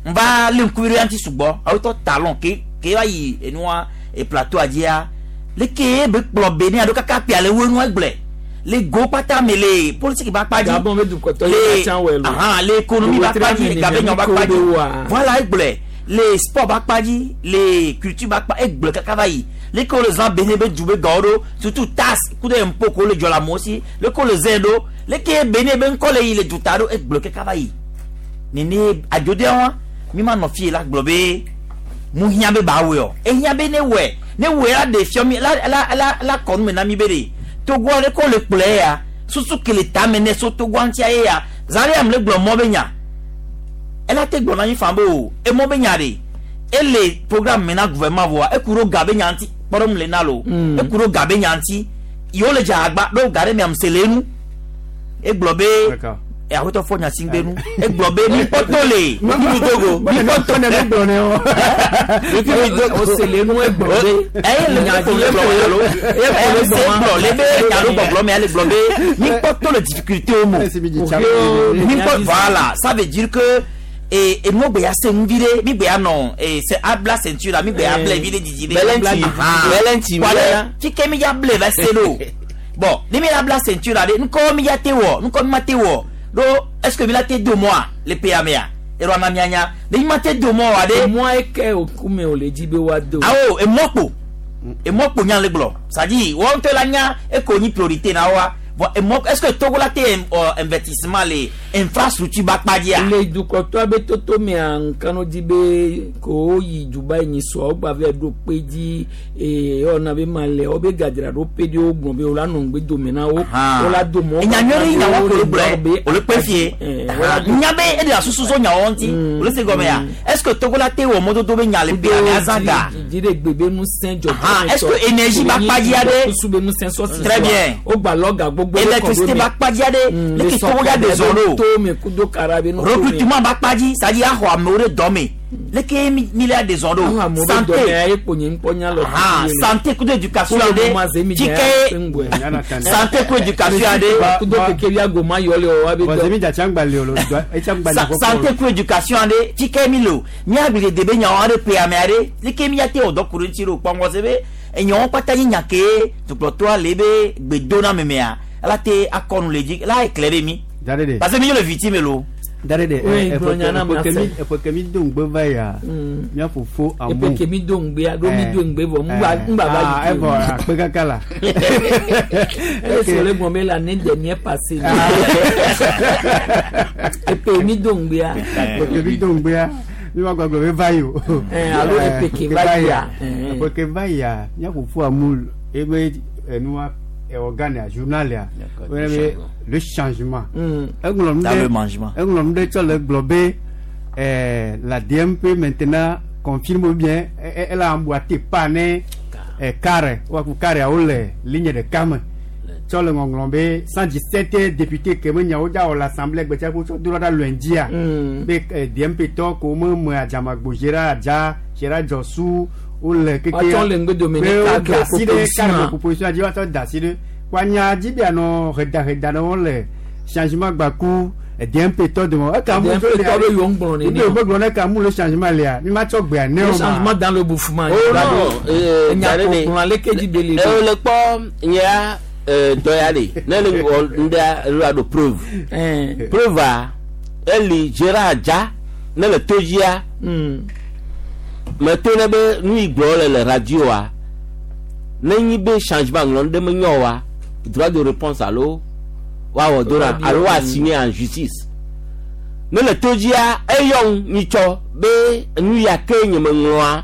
n va lé ŋkuvi ɖe ŋuti sugbɔ awotɔ talon ke ke va yi enua e plateau dzia leke be kplɔ be ne alo kaka pia le wo enua gblɔe le go kpata me le politique ba kpa dzi Gabon be dukɔtɔ ye le ka ca wɛ lo. ahan le économie ba kpa dzi gabe nyɔ ba kpa dzi Wa. voilà egblɔe le sport ba kpa dzi le culture ba kpa egblɔe kaka va yi Leke wole zã Benin be du be gawo ɖo, surtout taxe ku ɖe impôt ko le dzɔ le amewo si, leke wole zãe ɖo, leke Benin be ŋkɔ le yi le duta ɖo, egblɔ kaka va yi. Nene adzodea wa, mi ma nɔ fie la gblɔ be mu hiã be ba wɔe o. Ehiã be ne wɔe, ne wɔe la ɖe fiɔ mi, la la la la kɔ nu me na mi be ɖe Togoa ɖe ko le kplɔe ya, susu ke le tame ne so Togoa ŋutia ye ya. Zã ɖe ame le gblɔ mɔ be nya. Ela te gblɔ na mi fan be o, emɔ be nya ɖe. Ele programme me na gouvernement voa, eku ɖo ga be nya ŋuti, kpɔɖeŋu le na lo. Eku ɖo ga be nya ŋuti. Yewo le dze agba ɖo ga ɖe miam se le enu. Egblɔ be D'accord. aƒetɔ fɔ nya si ŋgbe nu. Egblɔ be mi kpɔtɔ le. Mi Togo. Mi kpɔtɔ ne gblɔ ne o. O se le nu egblɔ be. Eye le Nya nya dzi le gblɔ alo. E Eye se gblɔ le be nya ɖo gbɔgblɔ me ale gblɔ be mi kpɔtɔ le difficulté wo mo. Mi kpɔ voilà, ça veut dire que e enu gbe ya se nu vi ɖe, mi gbe ya nɔ e se abla ceinture la, mi gbe ya ble vi ɖe didi ɖe. Bɛlɛnti Ah. bɛlɛnti Wale mi fike mi ya ble va se ɖo. Bon, ni mi la bla ceinture la ɖe, ŋkɔ mi ya te wɔ, ŋkɔ mi ma te wɔ. Ɖo est-ce que mi la te do mɔa le pays mea? Erɔ na mia nya. Ne mi ma te do mɔ wa ɖe. Emɔ eke okume o le dzi be woado. Awo emɔ kpo. Emɔ kpo nya le gblɔ. C'est-à-dire, wɔn ŋutɔ la nya eko nyi priorité na wa. Bon, emɔ est-ce que Togo la te investissement le infrastructure ba kpa dzia? Le dukɔtɔ be toto mea nkanu dzi be ko yi Dubai nyi sɔ wogba vɛ ɖo kpe dzi ee ewɔna be ma le wo be gadzra ɖo pe ɖi wo gblɔ be wo la nɔ ŋgbe dome na wo. Wo la do mɔ. Enya nyuie ɖe nyawo ko le gblɔe, be o le kpe fie. Eh, wo la do Nya be eɖe asusu so nyawo ŋuti. O le se gɔme ya. Est-ce que Togo la te wɔ mɔdodo be nya le pays mea azã ga? dzi ɖe gbe be ŋusẽ dzɔdzɔ. Ah, est-ce que énergie ba kpa dzi aɖe? Kusu be ŋusẽ sɔsi. Très bien. Wo gba lɔ ga gbogbo ɖe kɔ ɖo Électricité me. ba kpa dzi aɖe. Le Leke Togo ya ɖe zɔ ɖo? To me kudo kara be nu to me. Recrutement ba kpa dzi, c'est-à-dire axɔ amewo ɖe dɔ me. Leke mi mi le ɖe zɔ Axɔ ɖo? amewo ɖe dɔ me Santé. aye kpo nye ŋkpɔ nya lɔ. Ah, santé kudo éducation Kudo aɖe. ma ze mi dze Fike ya ŋgbɔe. santé kudo éducation aɖe. Kudo keke bia goma yɔ le o wa be Bon, dɔ. zemi dza tsangba le o lo, etsa ŋgba le kɔkɔ. Santé ku éducation aɖe. Fike mi le o. Míagble de be nyawo aɖe ƒe ame aɖe. Leke mi ya te wɔ dɔ ku ɖe ŋuti ɖo kpɔ ŋgɔ se be enyawo kpata nye nya ke dukplɔtɔa le be gbedoname mea. Ela te akɔ nu le dzi. La éclairé mi. Da ɖe ɖe. Parce que mi le victime lo. Da ɖe ɖe. Oui, gblɔ nya na Eƒe mia se. ke mi do ŋgbe va ya. Mía fofo amu. Epe ke mi do ŋgbea ɖo mi do ŋgbe vɔ ŋgba ŋgba va Ah, yi. evɔ akpe kaka la. Ele si wòle gblɔ be l'année dernière passée. Epe mi do ŋgbea. Eƒe ke mi do ŋgbea. Mi ma gbagblɔ be va yi o. Eh, alo epe ke va yia. Eh. Eƒe ke va yia. Mía fofo amu ebe enua organe a journal ya. D'accord, Wo yɔna le be changement. le changement. Eŋlɔ nu Dans le ɖe mangement. eŋlɔ nu ɖe tsɔ le gblɔ be la DMP maintenant confirme bien elle a emboîté pas ne carré wa ku carré awo le ligne ɖeka me tsɔ le ŋɔŋlɔ be 117 député ke me nyawo dza wɔ le assemblée gbetsia ko tsɔ do ɖa lundi-a be DMP tɔ ko me me adzamagbo Gérard Adza Gérard Djɔsu wole keke Woatsɔ le ŋgbe dome ne be wo cadre da asi ɖe proposition cadre a. proposition dzi woatsɔ da asi ɖe woanya dzi be anɔ hedaheda ɖe wo le changement gbaku DMP tɔ dome eka mu DMP tɔ be yewo ŋgblɔ nene. ne wo gblɔ ne ka mu le changement lea mi ma tsɔ gbea ne Le o ma changement dans le bouffement. Oh non, Enya da ɖe ko kplɔ aleke dzi be le ɖe. ɖo. Le kpɔ nyea dɔ ya ɖe ne le wɔ ŋɖea elo aɖo preuve. Eh. Preuve a eli Gérard Adza ne le to dzia me to ne be nu yi gblɔ le le radio-a ne nyi be changement ŋlɔ ɖe me nyɔ wa droit de réponse alo woawɔ do na alo woa signer en justice ne le to dzia eyɔ nyitsɔ be nu ya ke nye me ŋlɔa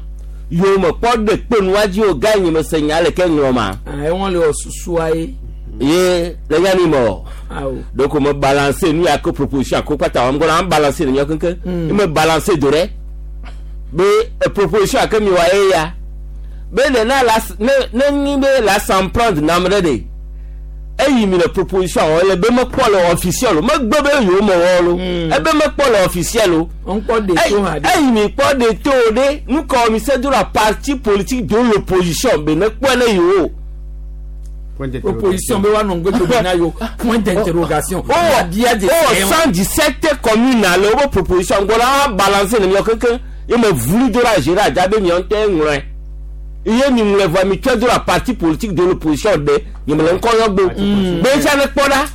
yiwo me kpɔ ɖe kpe nua dzi o ga nye me se nya le ke ŋlɔ ma Ah, ewɔn le wɔ susua ye. ye le nya ni me o Awo. donc me balancer nu ya ke proposition ko kpata wɔm gbɔna am balancer le nyɔ keŋkeŋ me balancer do ɖe be proposition ake mi wa ye ya be ne na la ne ne nyi be la s'en prendre nam ɖe de eyi mi le proposition wɔ le be mekpɔ le officiel o megbe be yewo me wɔ lo ebe mekpɔ le officiel o Ŋkpɔ de to ha de. eyi mi kpɔ de to ɖe nukɔ mi se do la parti politique de l'opposition be ne kpɔe ne yewo. Point Proposition be woanɔ ŋgbe dome na yewo. Point d'interrogation. Oh, Bia de oh, se. 117 communes ale wobe proposition gbɔ la balancer le miɔ keŋkeŋ ye me vuli do la Gérard Adza be miɔ ŋutɔe ŋlɔe ye mi ŋlɔe vɔa mi tsɔe do la parti politique de l'opposition ɖe nye me le ŋkɔ yɔ gbo be tsa ne kpɔ ɖa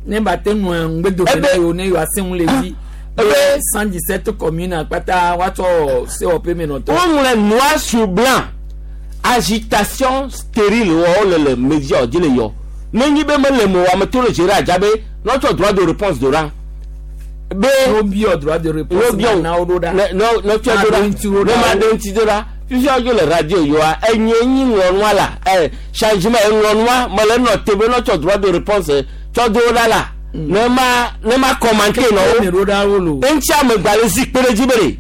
Ne ba te ŋlɔ ŋgbe dome Ebe- na yewo ne yewoa se ŋu le dzi. Ebe- Be 117 communes kpata woatsɔ sewɔƒe menɔtɔ. woŋlɔe noir sur blanc Agitation stérile wɔ wole le media dzi le yɔ. Ne nyi be mele mo ame to le Gérard Adjabe n'otsɔ droit de réponse do ɖa. Be no biɔ droit de réponse no biɔ na wo ɖo ɖa. Ne no no tsɔ Ma do ɖo ɖa. ŋuti ɖo Ne ɖa. ma ɖo ŋuti do ɖa. Fifia wodzo le radio yɔa enye nyi ŋlɔnua la ɛ changement eŋlɔnua mele nɔ te be n'otsɔ droit de réponse tsɔ do ɖa la. Ne ma ne ma commenter nɔ wo Ne ɖo ɖa wo lo. eŋuti amegbalẽ zikpe ɖe dzi be ɖe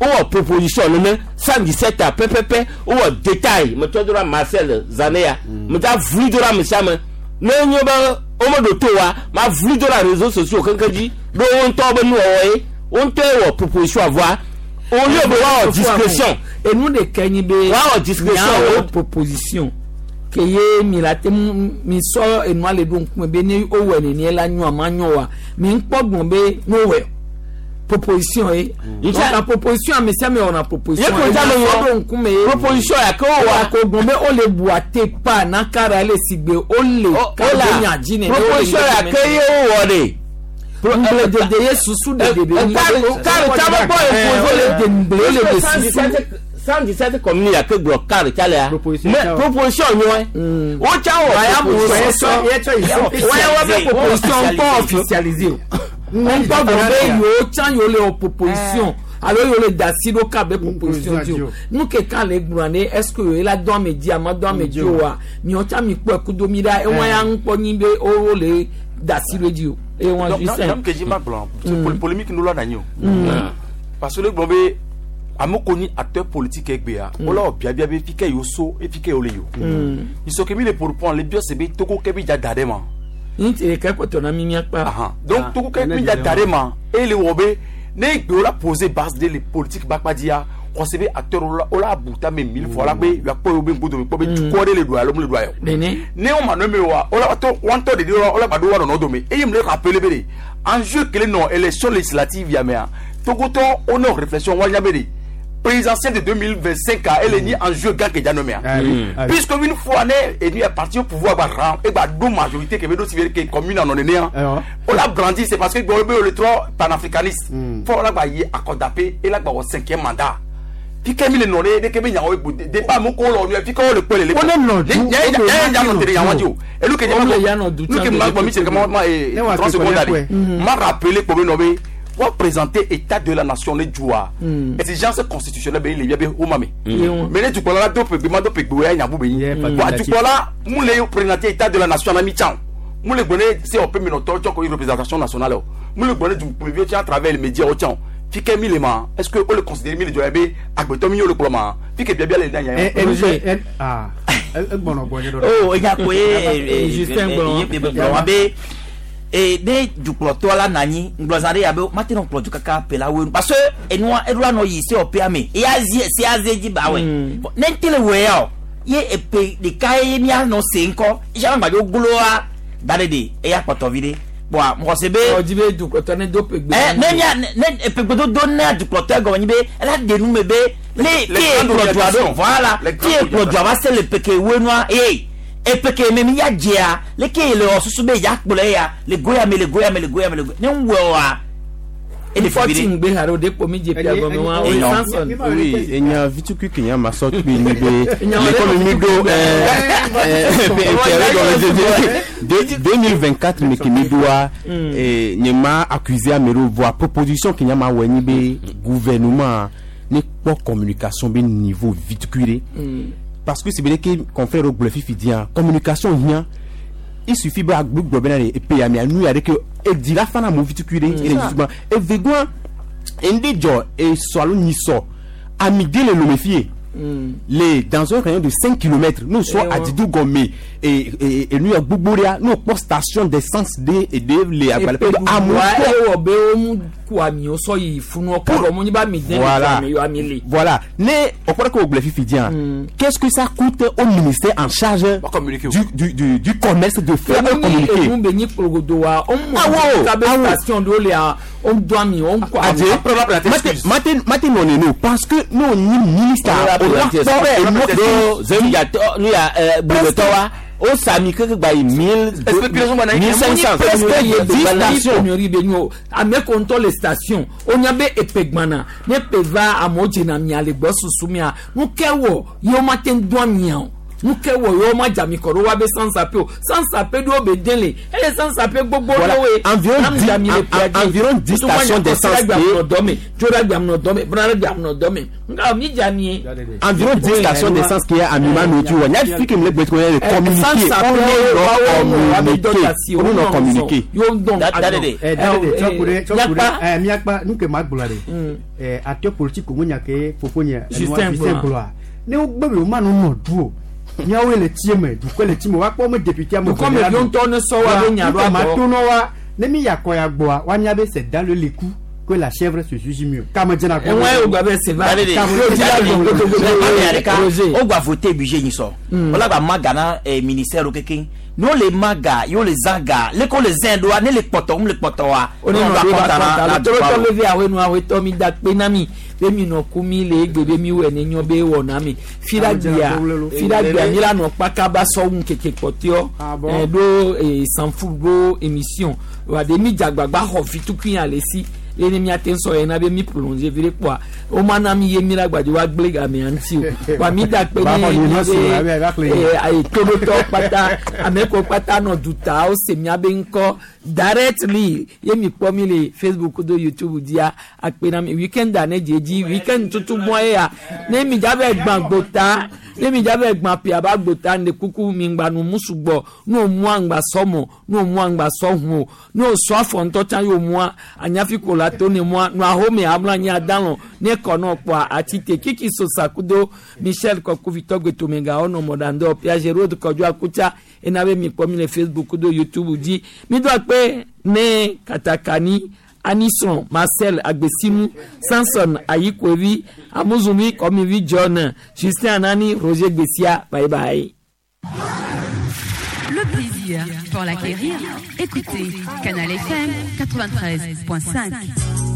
wowɔ proposition nene 117 a pɛpɛpɛ wowɔ détail metsɔ do ɖa Marcel Zaneya meta vli do ɖa ame sia ame ne nye be womeɖo to wa ma vli do ɖa réseaux sociaux keŋkeŋ dzi ɖo wo ŋutɔ be nuwɔwɔ ye wo ŋutɔ ye wɔ proposition voa au lieu be woawɔ discrétion Enu ɖeka nyi be. Woawɔ discrétion. Miawɔ proposition. Ke ye mi la te ŋu mi sɔ enua le ɖo ŋkume be ne wowɔe nenie la nyoa ma nyo wa mi ŋkpɔ gbɔn be ne wowɔe proposition ye. Donc la proposition ame sia ame wɔna proposition. Ye ko dza me Enu wɔ. sɔ ɖo ŋkume ye. Proposition ya ke wowɔa. Wa ko gbɔn be wole bua te pa na kara le sigbe wole O la nya dzi nene. proposition ya ke ye wowɔ ɖe. Ŋgble dede ye susu dede be nyi. Kari tsa be kpɔ Wole de ŋgble wole de susu. 117 communes ya ke gblɔ kari tsa lea Proposition mais tsa o. proposition nyɔe wo tsa wɔ proposition Wọ́n wá fẹ́ proposition kọ́ officialisé o. Wọ́n gbọ́ gbọ́ pé yòó tán yòó lè wọ proposition alo yòó lè da sí ló kà bẹ́ proposition di o. Nu keka le gblɔ ne est ce que yòó la dɔn ame dzi ama dɔn ame dzi o wa miɔ tsa mi kpɔ ɛkudo mi ɖa ewɔn ya ŋu kpɔ nyi be o le da sí ló dzi o. Ewɔn Donc, Justin. donc, que j'ai ma blanc, c'est polémique nous là n'agno. Parce que le bon be ame ko ni acteur politique egbea wola wɔ biabia be fi ke yewo so efi ke yewo le yi o isɔ ke mi le pour le biɔ se be togo ke bi dza da ɖe ma Ní ti ɖeka kpɔtɔ na mi miakpa. Ahan. Donc togo ke bi dza da ɖe ma eye le wɔ be ne egbe wola poser base de le politique bakpadzia xɔse be acteur wola wola bu tame mille fois la be yakpɔ yewo be ŋgodo kpɔ be dukɔ ɖe le ɖua alo mu le ɖua yɔ Nene. ne wo ma nɔ eme wa wola to wɔntɔ de wa wola gba ɖo wa nɔnɔ dome eye mu le rappeler be de enjeu kele nɔ élection législative ya mea togotɔ wo nɔ réflexion wa nya be de présidentielle de 2025 a ele nyi enjeu gã ke dza nɔ mea puisque une fois ne enu est parti au pouvoir gba ran e gba ɖo majorité ke be ɖo si be ke commune anɔ nenea wola brandi c'est parce que gbɔ be wo le trɔ panafricaniste fɔ wola gba yi akɔdape ela gba wɔ cinquième mandat fike mi le nɔ ɖe ɖeke be nyawo egbo débat mu ko lɔ nu fike wo le kpɔ le le Wo ne nɔ du, nye wo nye nɔ tere yawo dzi o elu ke nye Wo ma le ya nɔ du nu ke tsã ma be gbɔ mi se ke ma ma Ne wa 30 ke secondes kɔlɛ ale kɔɛ. ma rappeler kpɔ be nɔ be wa présenter état de la nation ne dzoa exigence constitutionnelle be le bia be wo ma me mais ne dukplɔla la do ƒegbe ma do ƒegbe wo ya nya bu be nyi Yeah, wa facultatif. dukplɔla mu le présenter état de la nation na mi tsã o mu le gbɔ ne COP minɔtɔ tsɔ ko représentation nationale o mu le gbɔ ne dukplɔviwo tsã à travers les médias wo tsã o fi ke mi le ma est ce que wo le considérer mi le dzɔ ya be agbetɔ mi ye wo le kplɔ ma fi ke biabia le na nya ya. Egbɔnɔ gbɔ nye ɖo. o enya ko ye Justin gblɔ. ye gblɔ wa be e ne dukplɔtɔ la nanyi ŋgblɔzã ɖe yabe mate nɔ kplɔ du kaka pe la woe nu parce que enua eɖo la nɔ yi se ɔpea me eya zi se aze dzi ba wɛ ne ŋte le wɔ ya o ye epe ɖeka ye mianɔ se ŋkɔ isa ma gbadzo gloa da ɖe de eya kpɔtɔ vi ɖe kpɔa mɔgɔ se be Ɔdzi be dukplɔtɔ ne do ƒegbe. ɛ ne mia ne epegbedodo ne dukplɔtɔ gɔme nyi be ela de nu me be ne Les tie grandes kplɔ dua ɖo orientations. voilà Les tie grandes kplɔ dua va se le peke woe nua eye epeke me mi ya dzea leke le wɔ susu be ya kplɔ ya le goya me le goya me le goya me le goya ne ŋu wɔ wa ele fi Fɔti ɖe ŋgbe ha ɖe o de kpo mi dze pia gɔme wa o ye Samson. Oui, enya vitukui ke nya ma sɔ kpe nyi be Enya le wale kɔmi mi ɖo 2024 me ke mi ɖoa nye ma accusé ame ɖewo voa proposition ke nya ma wɔ nyi be gouvernement ne kpɔ communication be niveau vitukui ɖe parce que si be ke confrère ɖewo gblɔ fifi dia communication hiã il suffit be agbe gblɔ bena ɖe epe ya mea nu ya ɖe ke edi la fana mo vitukui ɖe ele vitukui evegɔa ŋɖe dzɔ esɔ alo nyisɔ amide le lome fie le dans un rayon de 5 km nous soit à Didou Gomé et et nous ya gbogbo ɖea nous kpɔ station d'essence de et de le agbalẽ Epe amewo wa kpɔ ewɔ be wo mu ku amiwo sɔ yi funu ɔkɔ bɔ mu nyi ba mi den Voilà. mi yɔ ami le. Voilà. Ne, on croit que au Bleu Fifi dit, hein, qu'est-ce que ça coûte au ministère en charge Va communiquer. du commerce de faire un communiqué? Enu be nyi kplogodo wa o mu Awo, kabe awo. station ɖo lea o do ami o ku ami. Adje, Après, on va présenter mate, excuse. mate, mate, non, non, non, parce que nous, on est ministère, Wala on a présenter peur et nous, do zemjatɔ nu ya ɛ gbogbo wa O sami keke gba yi mille Spéculation gbana yi. 1500. Presque ye 10 stations. pénurie be nyo ame ko ŋutɔ le station wonya be epe gbana ne pe va amewo dzena mia le gbɔ susu mia nu ke wɔ yewo ma te ŋu do amia o nu ke wɔ yewo ma dze ami kɔ ɖo wa be sansape o sansape ɖewo be den le ele sansape gbogbo Voilà. ɖewoe Environ Am dze ami le pea dzi. environ 10 Tutu ma stations nya d'essence kɔsi ɖe et- gbe amenɔ dɔme tso ɖe agbe amenɔ dɔme bena ɖe gbe amenɔ dɔme nga mi dze amie. Environ 10 stations d'essence qui est à Mimano tu vois. Il y a fi que me le gbɛ le communiqué. On est dans communiqué. On est dans communiqué. Eh, Davide, tsɔ ku ɖe tsɔ ku ɖe eh, miakpa nu ke ma gblɔ ɖe eh, acteur politique mu nya ke fofonye Justin Justin gblɔa. gblɔa ne wogbe be woma no nɔ du o miawoe le tie me dukɔe le tie me woakpɔ me député ame Dukɔ me eve la viwo ɖu. ŋutɔ ne sɔ wa be nya ɖo Wa, nu ke ma abɔ. to nɔ wa ne mi yakɔ ya gbɔa woanya be c'est dans le leku que la chèvre se suit mieux kame dzena Enwɛ wo gba be se va. Davide, Roger. o gba voté budget nyi sɔ wala gba ma ga na ministère kekeŋ n'o le ma ga y'o le zã ga le ko le zã ɖoa ne le kpɔtɔ ŋu le kpɔtɔ wa Oni ne nɔ gba ɖo kɔnta ba na kɔnta na la dukɔa tɔlɔtɔ o. le vi awe nu awe tɔ mi da kpe na mi be mi nɔ ku mi le egbe be mi wɔ ne nyɔ be wɔ na mi fiɖagbea fiɖagbea mi la nɔ kpakaba sɔwu keke kpɔtɛɔ Ah bon? ɛ ɖo sanfu ɖo émission wa de mi dzagbagba xɔ fitukui ale si ye ne miate ŋu sɔ yina be mi prolonger vi ɖe kpoa wo ma na mi ye mi la gbadze wa gblẽ gamea ŋuti o wa mi da kpe Ba ne xɔ mi nyinɔ si o, abe ava xlẽ be yi. ayi toɖotɔ kpata ame ko kpata nɔ duta wo se miabe ŋkɔ directly ye mi kpɔ mi le facebook do youtube dzia akpe na mi weekend a ne dze dzi weekend tutu mɔ ye ya ne mi dza vɛ gbã gbota ne mi dza vɛ gbã pia ba gbota ne kuku mi ŋgba nu mu sugbɔ ne o mua ŋgba sɔmɔ ne o mua ŋgba sɔhu o ne o sɔ afɔ ŋutɔ tsã ye o mua anyafi ko la to ne mua nu ahome amlɔ anyi adalɔ ne kɔ nɔ kpɔa atite kiki sosa kudo michel kɔkuvitɔ gbetomega ɔnɔ mɔɖandɔ piaget road kɔdzo akutsa ena be mi kpɔ mi le facebook kudo youtube dzi mi do akpe ne katakani anison marcel agbesimu samson ayikoevi amuzumi kɔmivi john justin anani roger gbesia bye bye. Le plaisir, pour l'acquérir, écoutez Canal FM 93.5.